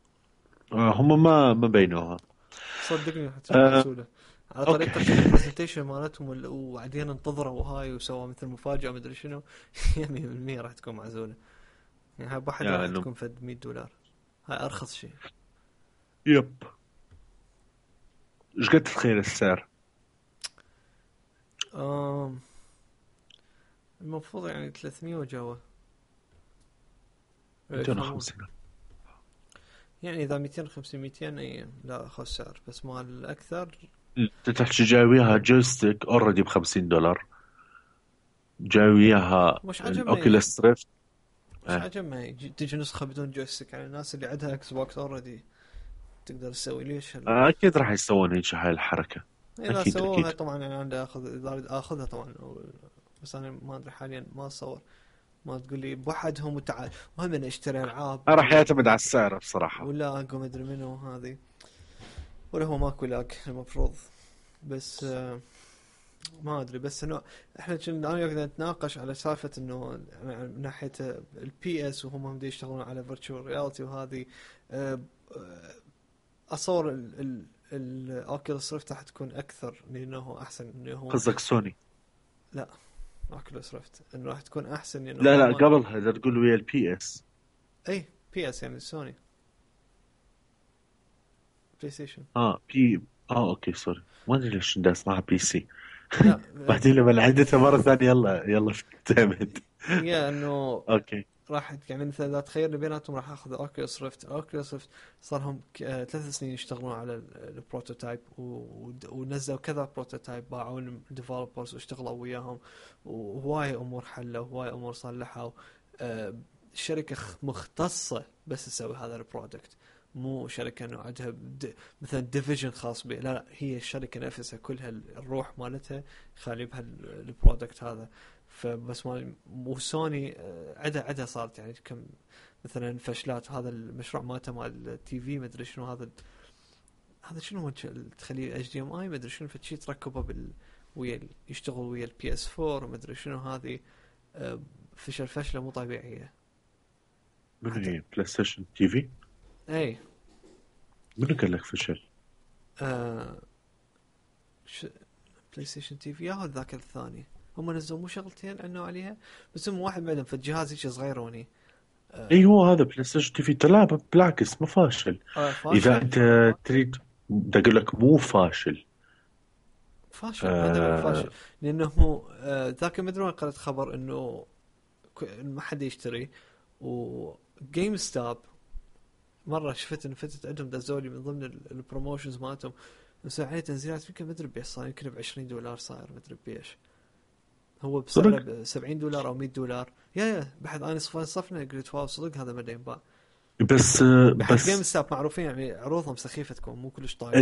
هم ما بينوها. صدقني يحتاج معزولة. على اوكي. طريقة البرزنتيشن مالتهم وبعدين انتظروا وهاي وسووا مثل مفاجأة مدري شنو. 100% راح تكون معزولة. يعني هاي بواحد راح تكون فد $100. هاي ارخص شيء. يب. ايش قد تتخيل السعر؟ المفروض يعني 300 وجوا. 250. يعني اذا 250 200 اي لا اخذ سعر، بس مال الاكثر. انت تحكي جاي وياها جويستيك اوريدي ب$50، جاي وياها مش الاوكيوليس ريفت. عجبني تجي نسخة بدون جويستيك. يعني الناس اللي عندها اكس بوكس اوريدي تقدر تسوي ليش اكيد راح يسوون هيك هاي الحركة. اذا اكيد سووها اكيد. طبعا. يعني عندي اخذها طبعا. بس انا ما ادري حاليا، ما اتصور. ما تقول لي بوحدهم وتعال وهم انا اشتري العاب راح يعتمد على السعر بصراحة. ولا ما ادري منو هذه، ولا هو ماكو لاك المفروض. بس ما ادري. بس انه احنا كنا انا وياك نتناقش على سالفه انه من ناحيه البي اس، وهم هم يشتغلون على فيرتشوال رياليتي وهذه. اصور الاوكيولوس ريفت راح تكون اكثر، لانه احسن. انه هو قصدك سوني؟ لا، اوكيولوس ريفت انه راح تكون احسن لانه لا قبلها اذا تقول ويا البي اس. اي بي اس يعني سوني بلاي ستيشن. اوكي سوري، ما ادري ليش بدي اسمعها بي سي. لا بعدين لما عدتها مرة ثانية يلا اعتمد. هي انه اوكي. راح يعني مثلا اذا تخيل بيناتهم راح اخذ اوكيولوس ريفت صار لهم 3 سنين يشتغلون على البروتوتايب، ونزلوا كذا بروتوتايب، باعوا الديفلوبرز واشتغلوا وياهم، وهواي امور حلوا، وهواي امور صلحوا. الشركه مختصه بس تسوي هذا البرودكت، مو شركه انه عندها مثلا ديفيجن خاص بها. لا هي الشركه نفسها كلها الروح مالتها خالي بها البرودكت هذا. فبس وسوني عدا صارت يعني كم مثلا فشلات. هذا المشروع مالته مال التي في مدري شنو، هذا شنو هو تخليه اتش دي ام اي مدري شنو، فشي تركبه ويا يشتغل ويا البي اس 4 ومدري شنو. هذه فشله مو طبيعيه. من هي بلاي ستيشن تي في؟ اي منو قال لك فشل؟ بلاي ستيشن تي في ياهو ذاك الثاني. هم نزلوا مو شغلتين عنوا عليها، بس هم واحد بعدهم في الجهاز هيك صغيروني. اي هو هذا بلاي ستيشن تي في تلعب بالعكس، ما فاشل. اذا انت تريد بدي اقول لك مو فاشل. هذا فاشل لانه ذاك ما ادري وين قرأت خبر انه ما حد يشتري. وجيم ستوب مره شفت ان فتت عندهم دزولي من ضمن البروموشنز مالتهم، مسوي عليه تنزيلات يمكن ما ادري بيش صار، يمكن $20 صاير ما ادري بيش. هو بسعره $70 او $100. يا بحد انا صفنا قلت واو صدق هذا ما ينباع. بس بحق جيم بس ستوب معروفين يعني عروضهم سخيفه تكون مو كلش طايله.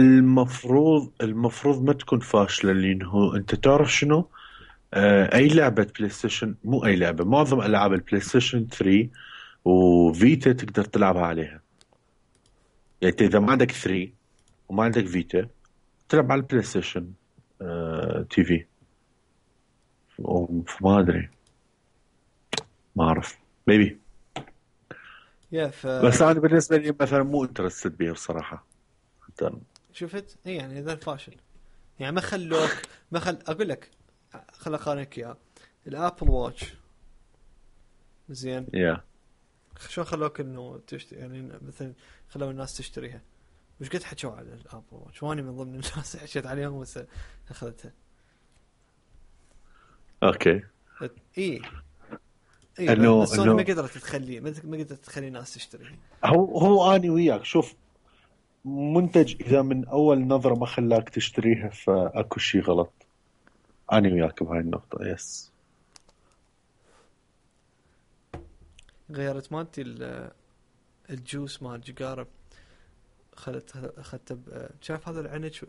المفروض ما تكون فاشلة، لأنه أنت تعرف شنو؟ أي لعبة بلاي ستيشن، مو أي لعبة، معظم ألعاب البلاي ستيشن 3 وفيتا تقدر تلعبها عليها. يعني أنت إذا ما عندك 3 وما عندك فيتا تلعب على البلاي ستيشن تي في. ما أدري، ما أعرف، ميبي. يا بس أنا بالنسبة لي مثلا مو انترستد بيه بصراحة. شفت اي يعني هذا الفاشل. يعني ما اقول لك، خل اقارنك اياه. الابل واتش زين، يا شلون خلوك انه يعني مثلا خلوا الناس تشتريها. وش قد حكوا على الابل واتش، واني من ضمن الناس حكيت عليهم بس اخذتها. أوكي. اي اي بس سوني ما إنه قدرت تخلي ما قدرت تخلي الناس تشتريها. هو أني وياك، شوف، منتج إذا من أول نظرة ما خلاك تشتريها فأكو شيء غلط. أنا وياك بهاي النقطة، يس. غيرت مالتي الجوس مال جقارب، اخذته شايف هذا العنج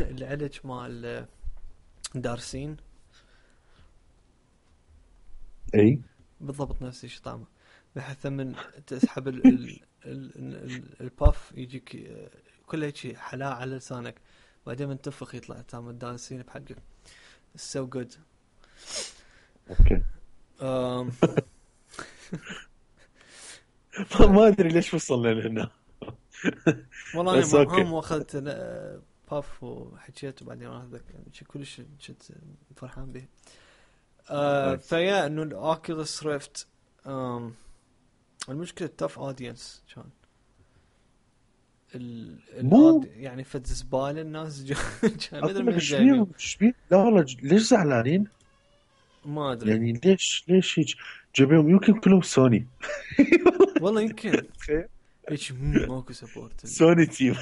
العلج مال دارسين. أي بالضبط نفس الشيء طعمه، بحيث من تسحب الباف يجيك كله هيك حلاوة على لسانك، بعدين من تنفخ يطلع طعم الدارسين بحقك. so good. أوكي. ما أدري ليش وصلنا لهنا. والله بس انا أوكي. هم اخذت باف وحكيت وبعدين اخذك يعني كلش كنت فرحان به. نايس. فيا انه الاوكيوليس ريفت المشكله توف اودينس كان مو يعني فد زباله الناس كان ما ادري أقول لك من إيش جايبين. بيهم إيش بيهم، لا والله ليش زعلانين؟ ما ادري يعني ليش هيك جايبيهم؟ يمكن كلهم سوني. والله يمكن تخيل هيك ماكو سبورت سوني تيم.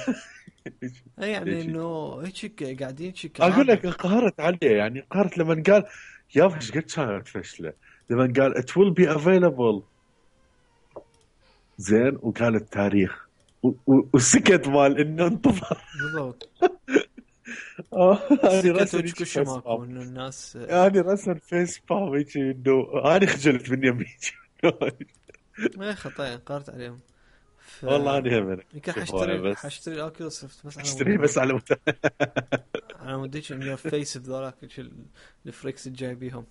يعني ليش هيك؟ انه هيك قاعدين شي اقول كآبة. لك انقهرت عليه، يعني انقهرت لما قال يا ايش قد كانت فشله. لما قال it will be available زين، وقال التاريخ والسكت مال انه انتظر. بالضبط هذه سكت رسم وش هيك كل فيس ماكو بام. انه الناس يعني رسم فيس بام هيك انه انا خجلت من يمي. ما خطايا قارت عليهم. ف والله انا هم يمكن هوايه بس حاشتري الاوكيوليس ريفت بس على اشتريه مود بس على انا موديش ان يور فيس بذولاك الفريكس الجايبيهم.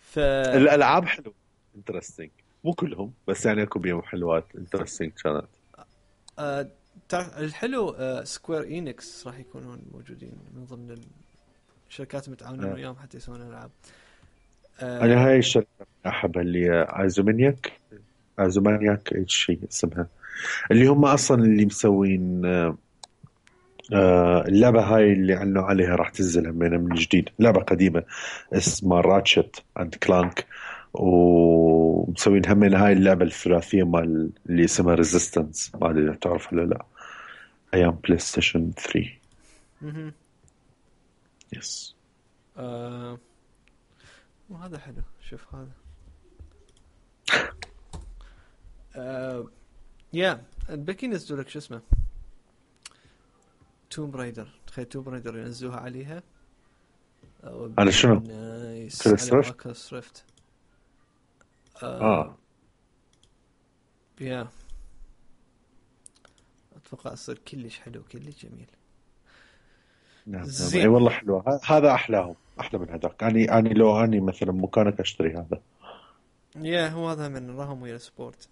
ف الالعاب حلوه انترستنج، مو كلهم بس يعني اكو بيهم حلوات انترستنج كانت. تعرف الحلو سكوير إينكس راح يكونون موجودين من ضمن الشركات المتعاونين آه. وياهم حتى يسوون العاب. انا هاي الشركه احبها اللي هي ايزومانياك ايش شيء اسمها، اللي هم اصلا اللي مسوين اللعبه هاي اللي اعلنوا عليها راح تنزل من جديد، لعبه قديمه اسمها راتشت اند كلانك، ومسوين همين هاي اللعبه الثلاثيه مال اللي اسمها ريزيستنس، ما ادري اذا تعرف ولا لا، ايام بلاي ستيشن 3. مهم. يس. وهذا حلو. شوف هذا يا الباقي ينزلوا لك شو اسمه توم رايدر. تخيل توم رايدر ينزلوها عليها على شنو؟ نايس كريس على ريفت. اوكيوليس ريفت. اه يا اتوقع يصير كلش حلو كلش جميل. نعم نعم، اي زين. والله حلوه، هذا احلاهم، احلى من هذاك. اني لو اني مثلا مكانك اشتري هذا. يا هو هذا من راهم ويا سبورت.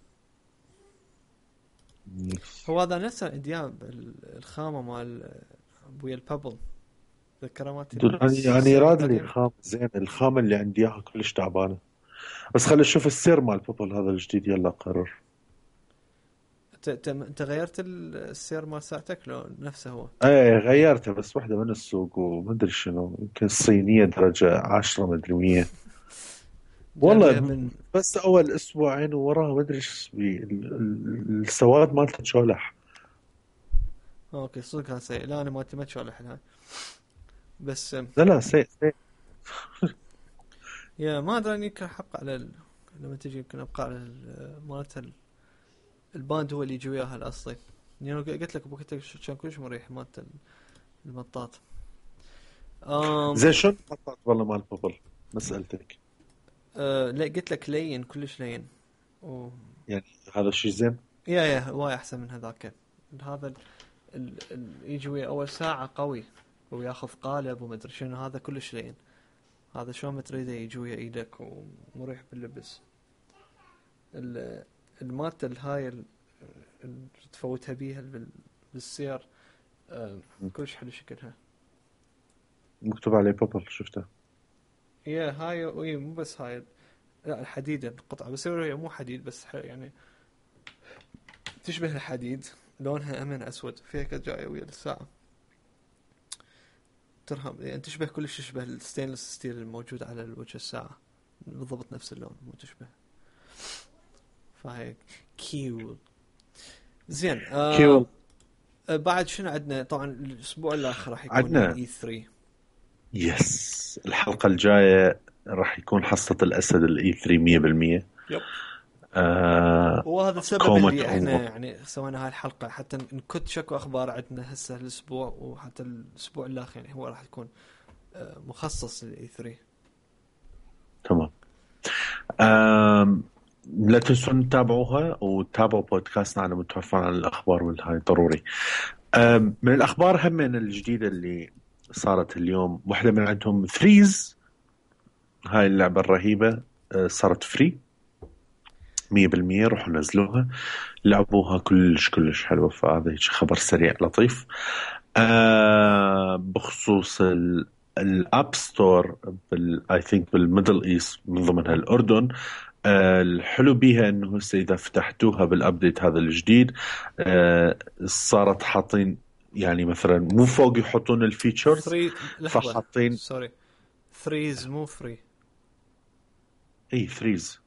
يس. هو هذا نفسه دياب الخامة مال ويا البابل. ذكرمات يعني السنة راد لي القديمة. الخام زين، الخامه اللي عندي اياها كلش تعبانه. بس خلي اشوف السير مال بوبل هذا الجديد يلا قرر. انت غيرت السير مال ساعتك لو نفسه هو؟ ايه غيرته بس واحده من السوق ومدري شنو، يمكن الصينيه درجه 10 مدري 100. جايبها والله من بس اول اسبوعين ووراها مدري ايش السواد مالته شولح. اوكي صدق كان سيء. لا انا ما تشوالح الحين بس لا سيء سيء. يا ما ادري اني يمكن حبقى على لما تجي يمكن ابقى على مالت الباند هو اللي يجي وياها الاصلي. يعني قلت لك بوقتها كان كلش مريح مالت المطاط. زين شلون المطاط والله مال بابل؟ ما سألتك. لا قلت لك لين كلش لين يعني هذا الشيء زين. يا وايد احسن من هذاك. هذا يجي ويا اول ساعة قوي وياخذ قالب وما ادري شنو، هذا كلش لين. هذا شلون ما تريده يجي ويا ايدك ومريح باللبس. المالت الهاي اللي تفوتها بيها بالسير كلش حلو شكلها. مكتوب عليه بابل شفتها. يا هاي مو بس هاي، لا الحديد القطعة، بس هي مو حديد بس يعني تشبه الحديد، لونها أمن أسود، فيها كانت جاية ويا الساعة ترهم، يعني تشبه كلش، تشبه الستينلس ستيل الموجود على وجه الساعة بالضبط نفس اللون، مو تشبه. فهيك كيول. زين كيول. بعد شنو عندنا؟ طبعا الأسبوع الآخر راح يكون عندنا E3. يس الحلقة الجاية راح يكون حصة الأسد الE3 100%. يب. وهذا السبب اللي احنا يعني سوينا هاي الحلقة، حتى نكت شكو أخبار عندنا هسه الأسبوع، وحتى الأسبوع الآخر يعني هو راح يكون مخصص للE3. تمام. لا تنسون تتابعوها وتتابعوا بودكاستنا على متوفر عن الأخبار والهاي ضروري. من الأخبار هم من الجديدة اللي صارت اليوم، واحدة من عندهم ثريز، هاي اللعبة الرهيبة صارت فري 100%. روحوا نزلوها لعبوها كلش حلوة. فهذا خبر سريع لطيف. بخصوص الاب ستور اي ثينك بالميدل ايست من ضمنها الأردن، الحلو بيها انه هسه اذا فتحتوها بالابديت هذا الجديد صارت حاطين يعني مثلا مو فوق يحطون الفيتشرز، فحاطين سوري ثريز مو فري. اي ثريز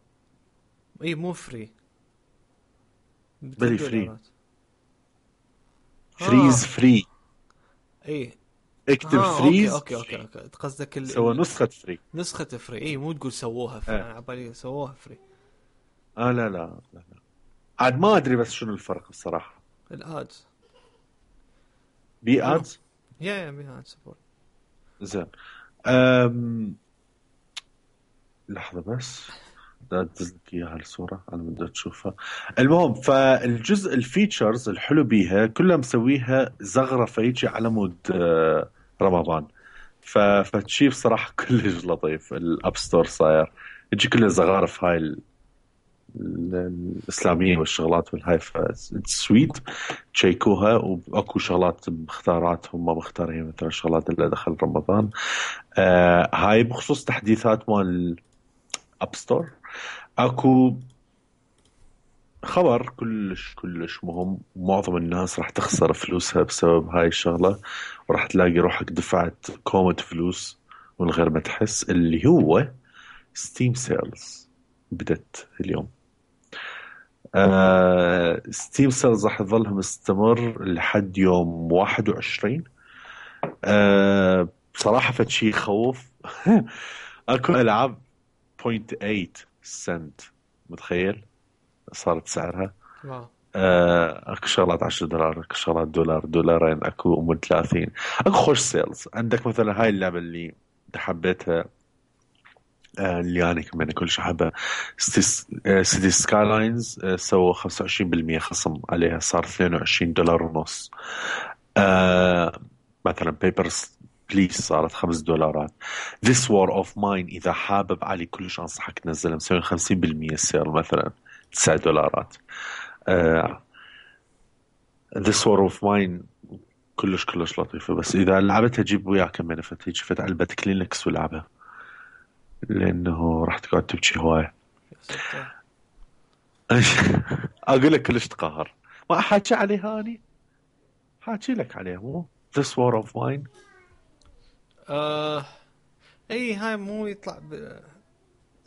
اي مو فري بلي فري. ثريز فري. اي اكتب ثريز. اوكي قصدك سوى نسخة فري. نسخة فري. اي مو تقول سووها فري. انا عبالي سووها فري. لا عاد ما ادري بس شنو الفرق الصراحة. الادز بي ادز. يا بي ادز سبورت. زين لحظة بس ادزلك اياها الصورة انا بدي تشوفها. المهم فالجزء الفيتشرز الحلو بيها كلها مسويها زغرفة يجي على مود رمضان. فتشي بصراحة كلش لطيف. الاب ستور صاير يجي كله زغارف هاي الإسلامية والشغلات والهاي. سويت تشيكوها واكو شغلات مختارات هم مختارين مثلا شغلات اللي دخل رمضان. هاي بخصوص تحديثات مال اب ستور. اكو خبر كلش مهم. معظم الناس راح تخسر فلوسها بسبب هاي الشغلة، وراح تلاقي روحك دفعت كومة فلوس من غير ما تحس، اللي هو ستيم سيلز بدت اليوم. ستيم سيلز راح يظلها مستمر لحد يوم 21. بصراحة فشي يخوف. اكو العاب 0.8 سنت، متخيل صارت سعرها. اكو شغلات $10، اكو شغلات $2، اكو ام 30. اكو خوش سيلز. عندك مثلا هاي اللعبة اللي حبيتها اللي أنا كمان كل شحبة سيتي سكايلاينز، سووا 25% خصم عليها، صار $22.50. مثلا بيبرز بليز صارت $5. This War of Mine إذا حابب علي كلش أنصحك تنزلها، مسوين 50% سير مثلا $9. This War of Mine كلش لطيفة، بس إذا لعبتها جيب وياك كمان فت علبة كلينكس ولعبها، لأنه راح تقعد تبكي هواية. أقول لك كلش تقهر. ما أحكي عليها أني، حاكي لك عليها مو This War of Mine. أي هاي مو يطلع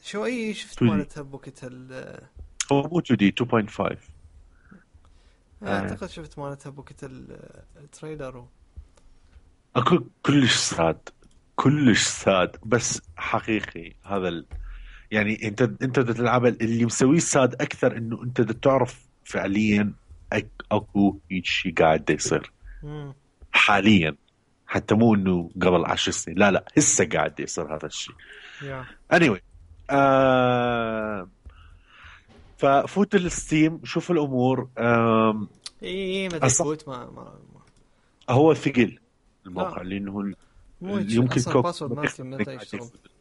شو أي شفت مالتها بوقتها هو مو 2D 2.5. أعتقد شفت مالتها بوقتها التريلر. أكو كلش ساد بس حقيقي. هذا يعني انت بدك تلعب اللي مسويه الساد اكثر، انه انت بدك تعرف فعليا اكو هيك شيء قاعد يصير امم. حاليا، حتى مو انه قبل 10 سنين، لا لا، هسه قاعد يصير هذا الشيء. يا. anyway ففوت الستيم، شوف الامور. اي متى أصح يفوت ما. هو ثقيل لا الموقع، لانه مو هيك، يمكن اصلا كوك الباسورد ما مالتي بيخليك متى قاعد يشتغل؟ يفوت.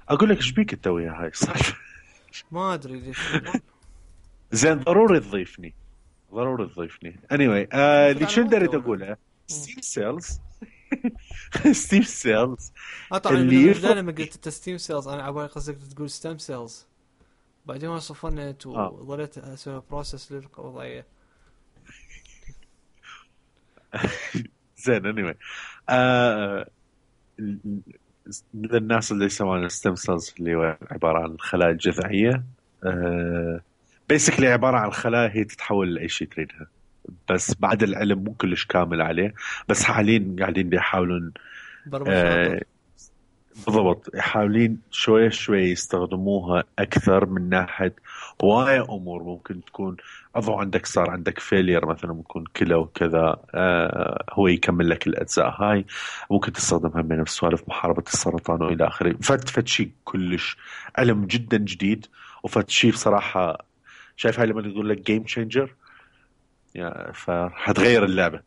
اقول لك ايش بيك انت ويا هاي صح. ما ادري ليش يقول. زين ضروري تضيفني، ضروري تضيفني. anyway المفروض اللي على شو مالتي دريت اولا. اقوله، ستيم سيلز. ستيم سيلز طبعا اللي من البدايه يفرق. لما قلت ستيم سيلز انا عبالي قصدك تقول ستيم سيلز، بعدين ما صفنت اه وظليت اسوي بروسس للوضعيه. زين anyway آه للناس اللي يسمون الستيم سيلز، اللي هو عبارة عن خلايا جذعية، بيسكلي عبارة عن خلايا هي تتحول لأي شيء تريدها، بس بعد العلم مو كلش كامل عليه. بس حاليا قاعدين يحاولون برمج آه خاطر. بالضبط، حاولين شوية شوية يستخدموها أكثر من ناحية هواية أمور ممكن تكون. أضو عندك صار عندك فيلير مثلا، ممكن كلى وكذا، هو يكمل لك الأجزاء هاي. ممكن تستخدمها من سوالف محاربة السرطان وإلى آخره. فت شيء كلش علم جدا جديد، وفت شيء بصراحة شايف هاي لما تقول لك جيم تشينجر، يعني فحتغير اللعبة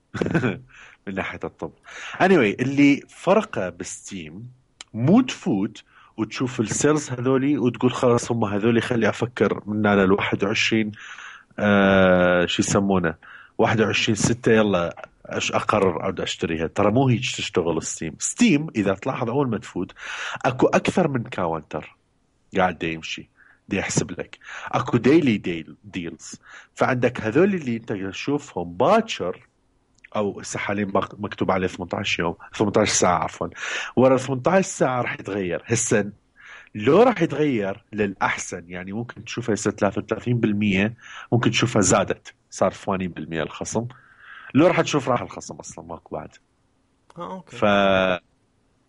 من ناحية الطب. anyway اللي فرقه بستيم، مو تفوت وتشوف السيلز هذولي وتقول خلاص هم هذولي خلي أفكر من أنا ال21 شو يسمونه 21/6 يلا أقرر أعود أشتريها. ترى مو هيك تشتغل ستيم إذا تلاحظ أول ما تفوت أكو أكثر من كاونتر قاعد يمشي، دي يحسب لك. اكو ديلز. فعندك هذول اللي انت تشوفهم باكر، او هسه حاليا مكتوب عليه 18 يوم، 18 ساعه عفوا. ورا 18 ساعه راح يتغير. هسه لو راح يتغير للاحسن، يعني ممكن تشوفها هسه 33%، ممكن تشوفها زادت صار 80% الخصم. لو راح تشوف راح الخصم اصلا ماكو بعد. اوكي. ف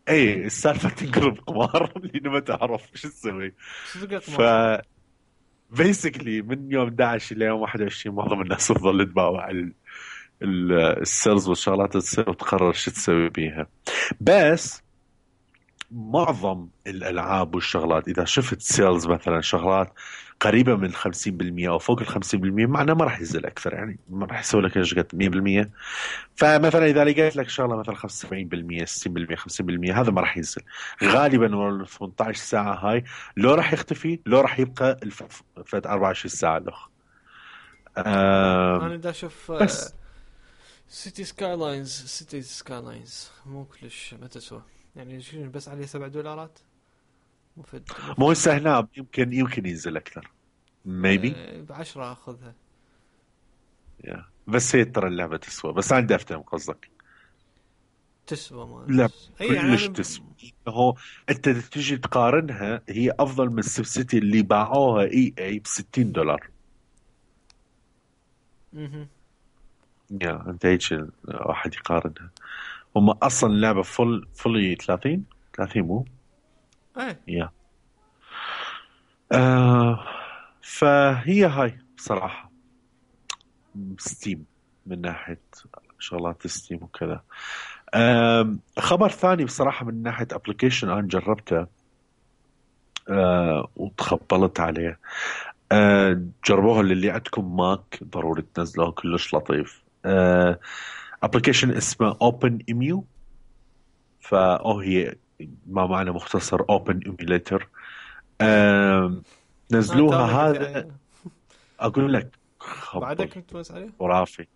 اي السالفه تنقلب قمار لانه ما تعرف شو تسوي. صدق ف ما. بيسكلي من يوم 11 ليوم 21 معظم الناس تظل تباوع السيلز والشغلات تصير وتقرر شو تسوي بيها. بس معظم الالعاب والشغلات اذا شفت سيلز مثلا شغلات قريبه من 50% او فوق ال 50%، معناه ما راح ينزل اكثر، يعني ما راح يسوي لك ايش قد 100%. فمثلا اذا لقيت لك شغله مثلا 75% 60% 50%، هذا ما راح ينزل غالبا ورا ال 18 ساعه هاي. لو راح يختفي لو راح يبقى فد 24 ساعه الاخ. انا دا اشوف بس سيتي سكاي لاينز مو كلش ما تسوى، يعني بس عليه $7 مفيد. مو هسه هنا يمكن ينزل اكثر ميبي. ب10 اخذها. بس هي ترى اللعبه تسوى، بس عندي افتهم قصدك. تسوى ما لا اي كلش يعني تسوى. هو انت تجي تقارنها، هي افضل من السيف سيتي اللي باعوها اي ب$60. اها. يا انت هيك واحد يقارنها. هم اصلا اللعبه فولي 30 مو. ايه. يا فهي هاي بصراحه ستيم من ناحيه شغلات ستيم وكذا. خبر ثاني بصراحه من ناحيه ابلكيشن انا جربته وتخبلت عليه. جربوها اللي عندكم ماك ضروري تنزلوه، كلش لطيف. ابلكيشن اسمه اوبن ايميو، هي ما معنى مختصر اوبن ايميوليتر. نزلوها هذا اقول لك بعدك خبل كنت تمس عليه. خرافي.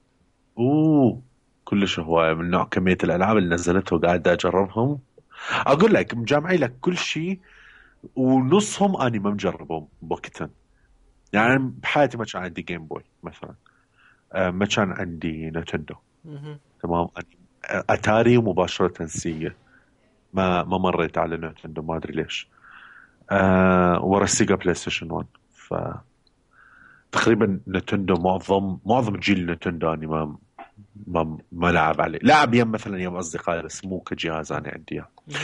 كلش هواية من نوع كمية الالعاب اللي نزلته وقاعد اجربهم. اقول لك مجمعي لك كل شيء، ونصهم اني ما مجربهم بوقتها. يعني بحياتي ما كان عندي جيم بوي مثلا، ما كان عندي نتندو. تمام. اتاري مباشرة سيجا، ما مريت على نتندو ما ادري ليش. ورا السيجا بلاي ستيشن 1. ف تقريبا نتندو معظم جيل نتندو اني ما لعب عليه، لعب يم مثلا يم اصدقائي بس مو كجهاز انا عندي اياه. مهم.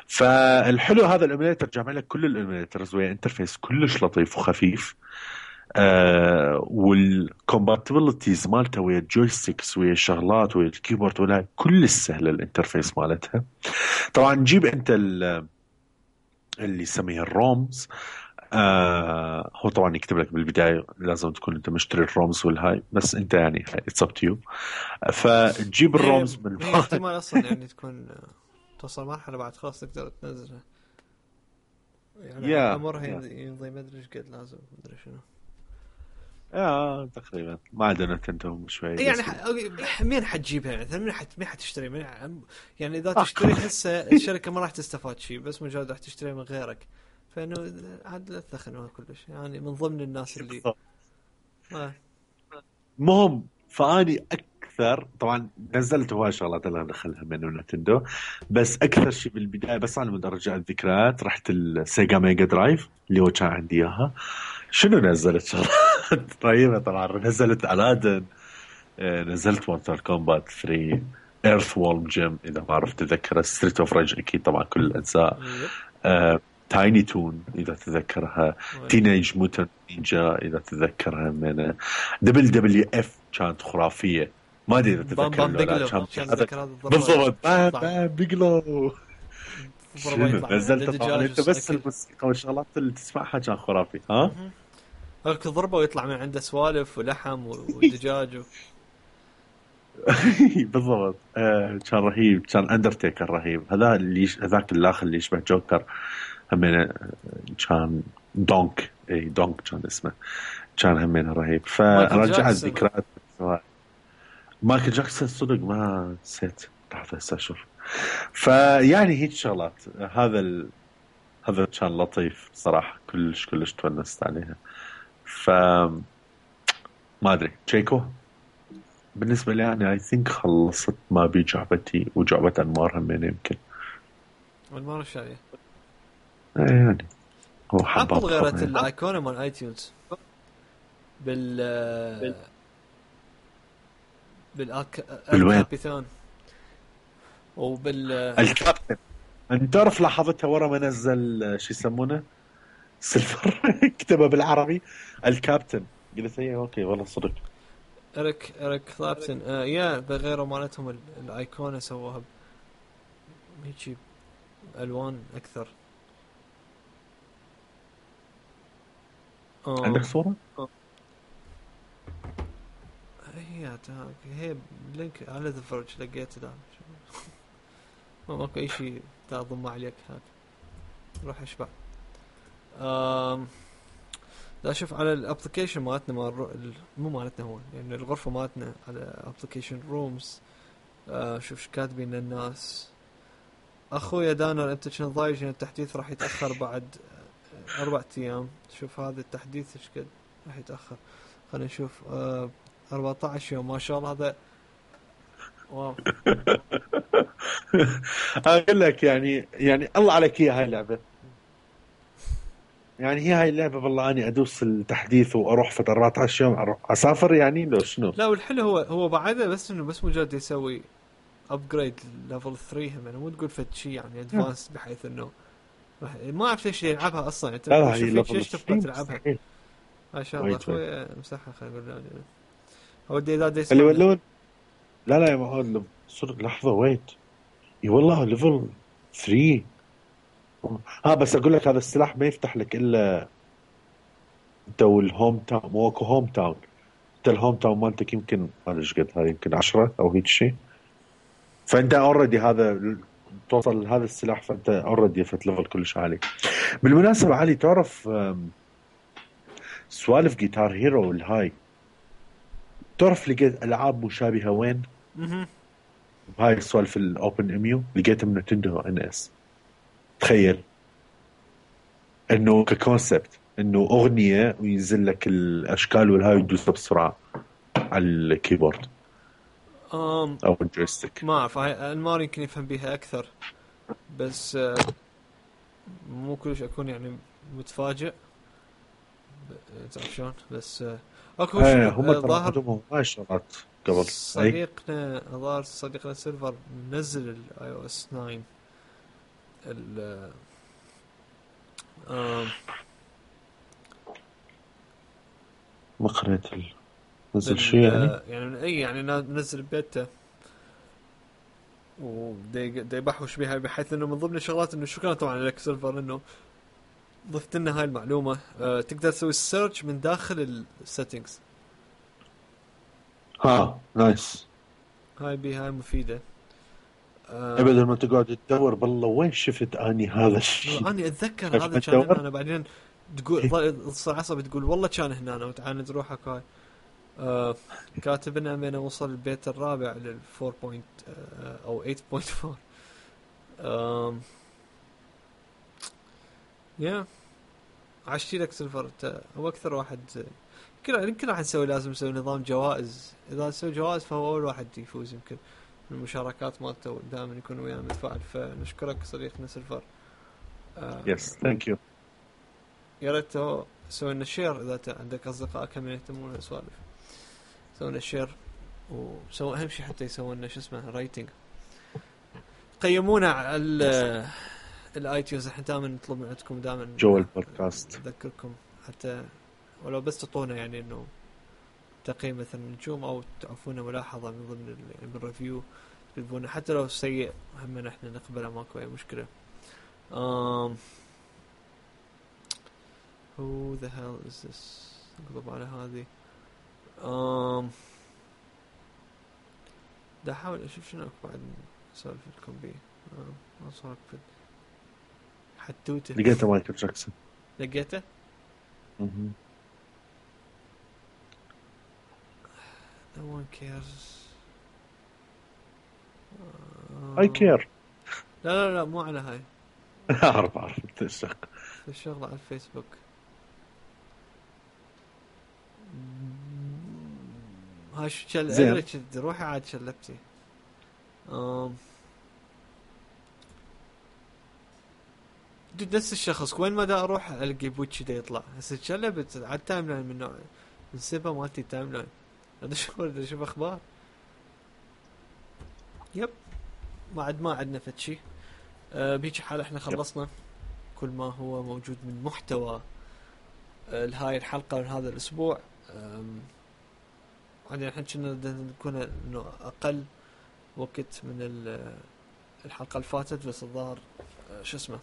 فالحلو هذا الايميليتر جامع لك كل الايميليترز ويا انترفيس كلش لطيف وخفيف. والكومباتيبلتيز مالته ويا الجويستيكس ويا الشغلات ويا الكيبورد ولا كل سهله الانترفيس مالتها. طبعا جيب انت اللي يسميه الرومز. هو طبعا يكتب لك بالبدايه لازم تكون انت مشتري الرومز والهاي، بس انت يعني اتس اب تو يو. فتجيب الرومز من هي احتمال اصلا يعني تكون توصل مرحله بعد خلاص تقدر تنزلها، يعني يا عمرها يمضي ما ادري ايش قد لازم ما ادري شنو. تقريبا ما عندنا نتندو شوي يعني بس. مين حتجيبها يعني؟ مين حتشتري يعني اذا تشتري هسه الشركه ما راح تستفاد شيء، بس مجرد راح تشتري من غيرك، فانه عاد لا تثخنوها كلش يعني من ضمن الناس اللي مهم. فاني اكثر طبعا نزلت هواي شغلات اللي ندخلها من نتندو، بس اكثر شيء بالبدايه بس انا بدي ارجع الذكريات رحت السيجا ميجا درايف اللي هو كان عندي اياها. شنو نزلت شغلات رهيبه طبعا. نزلت الادن، نزلت مورتال كومبات 3، ايرث وولم جيم اذا ما عرفت تذكر، ستريت اوف ريج اكيد طبعا كل الاجزاء، تايني تون اذا تذكرها، تينيج موتن نينجا اذا تذكرها، من دبل دبليو اف كانت خرافيه. ما ادري اذا تتذكر ولا كان بالضبط بام بيجلو. شنو نزلت طبعا انت بس الموسيقى والشغلات اللي تسمعها كان خرافي. ها هاك ضربه ويطلع من عنده سوالف ولحم ودجاج بالضبط. كان رهيب. كان اندرتيكر رهيب. هذا اللي هذاك الاخر اللي يشبه جوكر همين كان دونك. اي دونك كان اسمه. كان همين رهيب. فرجع الذكريات. مايكل جاكسون صدق ما نسيت. لحظه هسه اشوف. فيعني هيك شغلات. هذا كان لطيف صراحه. كلش تونست عليها. ما ادري تشيكو بالنسبه لي يعني اي ثينك خلصت ما بي جعبتي وجعبه انمار همين يمكن. انمار الشاية يعني هو ابل غيرت الايقونه مال ايتيونز بالكابيتان الكابتن. انت تعرف لاحظتها ورا ما نزل شو يسمونه سيلفر كتبه بالعربي الكابتن. قلت هي اوكي والله صدق. إريك كلابتن يا بغيروا مالتهم الايقونه سووها هيك الوان اكثر. عندك صوره؟ هي لينك على ذا فرج لقيت ده ماكو اي شيء تضم عليك هاك روح اشبع. لا شوف على الابلكيشن مالتنا مو مالتنا هو يعني الغرفه مالتنا على ابلكيشن رومز. شوف كاتبين الناس اخويا دانر انت كنت ضايج ان التحديث راح يتاخر بعد 4 ايام. شوف هذا التحديث ايش قد راح يتاخر. خلينا نشوف 14 يوم ما شاء الله. هذا واو. اقول لك يعني الله عليك هي هاي اللعبه. يعني هي هاي اللعبه والله اني ادوس التحديث واروح في 14 يوم اروح اسافر يعني لو شنو. لا والحلو هو بعده بس انه بس مجرد يسوي ابجريد ليفل 3 يعني مو تقول فد شيء يعني ادفانس بحيث انه ما اعرف ليش يلعبها اصلا. انت شوف ليش تبغى تلعبها. ما شاء الله اخوي مسحها خلينا نقول يعني اودي اذا دي اللي يقولون لا يا معود صدق لحظه ويت اي والله ليفل 3. بس اقول لك هذا السلاح ما يفتح لك الا انت والهوم تاون. مو اكو هوم تاون. انت الهوم تاون مالتك يمكن ما ايش قد هذا يمكن 10 او هيك شيء. فانت اوريدي هذا توصل لهذا السلاح فانت اوريدي فت ليفل كلش عالي. بالمناسبه علي تعرف سوالف جيتار هيرو الهاي تعرف لقيت العاب مشابهه وين؟ هاي السوالف الاوبن اميو لقيتها من نينتندو ان اس. تخيل انه ككونسبت انه اغنيه وينزل لك الاشكال والهاي يدوسها بسرعه على الكيبورد او الجويستيك. ما اعرف المار يمكن يفهم بيها اكثر بس مو كلش اكون يعني متفاجئ تعرف شلون بس اكو هم ترى ظاهر عندهم هاي شغلات قبل. صديقنا سيلفر منزل الاي او اس 9 ال ما قريت نزل شيء يعني نزل بيتا ودي بحوش بها، بحيث انه من ضمن الشغلات انه شكرا طبعا لك سيلفر انه ضفت لنا هاي المعلومه. تقدر تسوي السيرش من داخل السيتنجز. نايس. هاي مفيده. بدل ما تقعد تدور بالله وين شفت اني هذا الشيء. انا اتذكر هذا كان انا بعدين تقول تصير عصبي تقول والله كان هنا وتعاند روحك. هاي كاتب لنا من وصل البيت الرابع لل 4. او 8.4. يا عشتي لك سيلفر. هو اكثر واحد يمكن راح نسوي، لازم نسوي نظام جوائز. اذا نسوي جوائز فهو اول واحد يفوز يمكن من المشاركات مالته، دائما يكون ويانا متفاعل. فنشكرك صديقنا سيلفر. يس ثانك يو. يا ريت سوي لنا شير اذا عندك اصدقاء كم يهتمون السوالف. سوي لنا شير وسوي اهم شيء حتى يسوي لنا رايتنج. قيمونا على الايتيونز. احنا دائما نطلب من عندكم دائما جو البودكاست. اذكركم حتى ولو بس تعطونا يعني انه تقييم مثلا نجوم او تعطونا ملاحظه من ضمن الريفيو تكتبونه، حتى لو سيء هم نحن نقبله، ماكو اي مشكله. who the hell is this؟ نقلب على هذه. دا احاول اشوف شنو بعد اسولف لكم بيه. ما صار في حدوته. لقيته مايكل جاكسون. لقيته. No one cares. I care. لا مو على هاي. أعرف الشغلة على الفيسبوك. هاي شو روحي عاد شلبتي. نفس الشخص وين ما دا اروح القي بوتشي دا يطلع. هسه شلبت على التايم لاين من نوع السبا مالتي التايم لاين. هذا شوف اخبار. يب ما عندنا فتشي. بيجي حال احنا خلصنا كل ما هو موجود من محتوى لهاي الحلقة من هذا الاسبوع. بعدين احنا كنا نكون انه اقل وقت من الحلقة اللي فاتت، بس الظاهر شو اسمه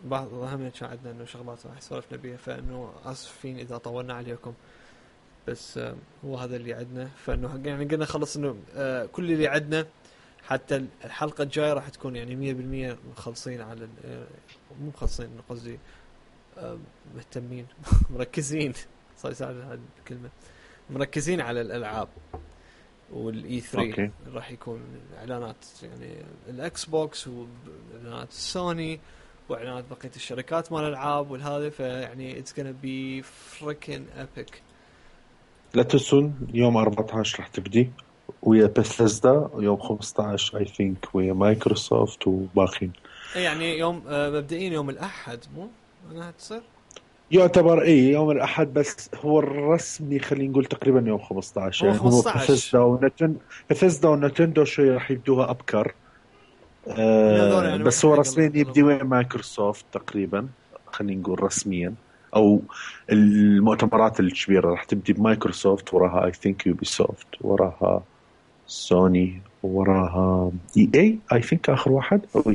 بعض الأهم كان عندنا إنه شغلات راح سولفنا بيها، فإنه آسفين إذا طولنا عليكم، بس هو هذا اللي عندنا. فإنه يعني قلنا خلص إنه كل اللي عندنا حتى الحلقة الجاية راح تكون يعني 100% مخلصين على مو مخلصين قصدي مهتمين مركزين. صار يساعد هذه الكلمة، مركزين على الألعاب والاي 3 راح يكون اعلانات يعني الاكس بوكس واعلانات السوني واعلانات بقيه الشركات مال الالعاب والهذا. فيعني اتس gonna بي فريكن ايبك. لا تنسون يوم 14 راح تبدي ويا بثيسدا، يوم 15 اي ثينك ويا مايكروسوفت وباقين. يعني يوم مبدئيا يوم الاحد مو انا هتصير يعتبر يوم الأحد، بس هو الرسمي خلينا نقول تقريبا يوم 15. يعني هو بثيسدا ونتندو شوي راح يبدوها أبكر. يعني بس هو رسميا يبدي وين مايكروسوفت تقريبا، خلينا نقول رسميا، أو المؤتمرات الكبيرة راح تبدي بمايكروسوفت، وراها I think يوبيسوفت، وراها سوني، وراها EA I think آخر واحد، أو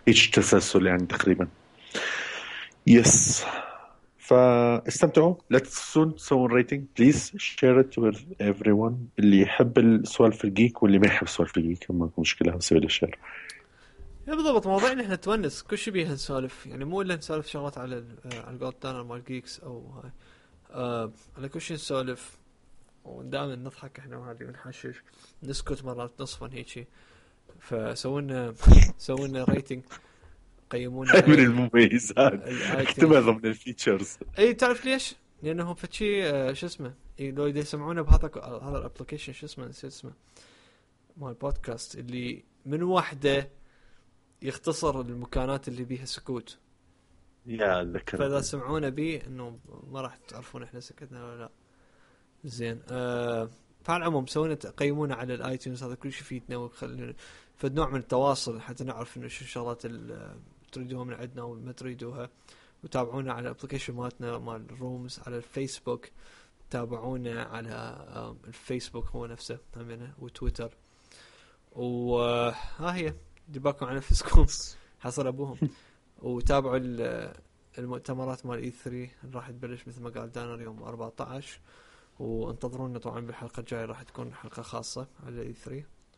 هيك تسلسل يعني تقريبا. يس فاستمتعوا. لا تنسون تسوون ريتنج بليز، شير ات with everyone. اللي يحب السوالف الجيك واللي ما يحب سوالف الجيك ما في مشكله، نسوي له شير. يا بالضبط موضوعنا احنا نتونس كل شيء بيها نسولف، يعني مو الا نسولف شغلات على الجولد تانر مال جيكس او هاي على كل شيء نسولف ودائما نضحك احنا وهذه ونحشش نسكت مرات نصفا هيك. فسوينا ريتنج قيمونا من المميزات اكتبها ضمن الفيتشرز. اي تعرف ليش؟ لانه فشي شو اسمه لو يسمعونا بهذا الابلكيشن شو اسمه نسيت اسمه مال بودكاست اللي من واحده يختصر المكانات اللي بيها سكوت. يا اتذكر. فاذا سمعونا بي انه ما راح تعرفون احنا سكتنا ولا لا. زين فعلى العموم سوينا قيمونا على الايتونز، هذا كل شيء يفيدنا ويخلينا فد نوع من التواصل حتى نعرف انه شو الشغلات اللي تريدوها من عندنا وما تريدوها. وتابعونا على الابلكيشن مالتنا مال الرومز على الفيسبوك، تابعونا على الفيسبوك هو نفسه همينه وتويتر. وها هي دباكم على نفسكم حصل ابوهم. وتابعوا المؤتمرات مال E3 اللي راح تبلش مثل ما قال دانر يوم 14. وانتظرونا طبعا بالحلقة الجاية راح تكون حلقة خاصة على E3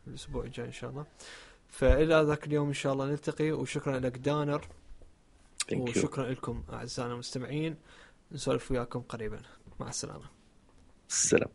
الأسبوع الجاي إن شاء الله. فإلى ذاك اليوم إن شاء الله نلتقي. وشكرا لك دانر وشكرا لكم أعزائنا المستمعين. نسولف وياكم قريبا. مع السلامة. السلام.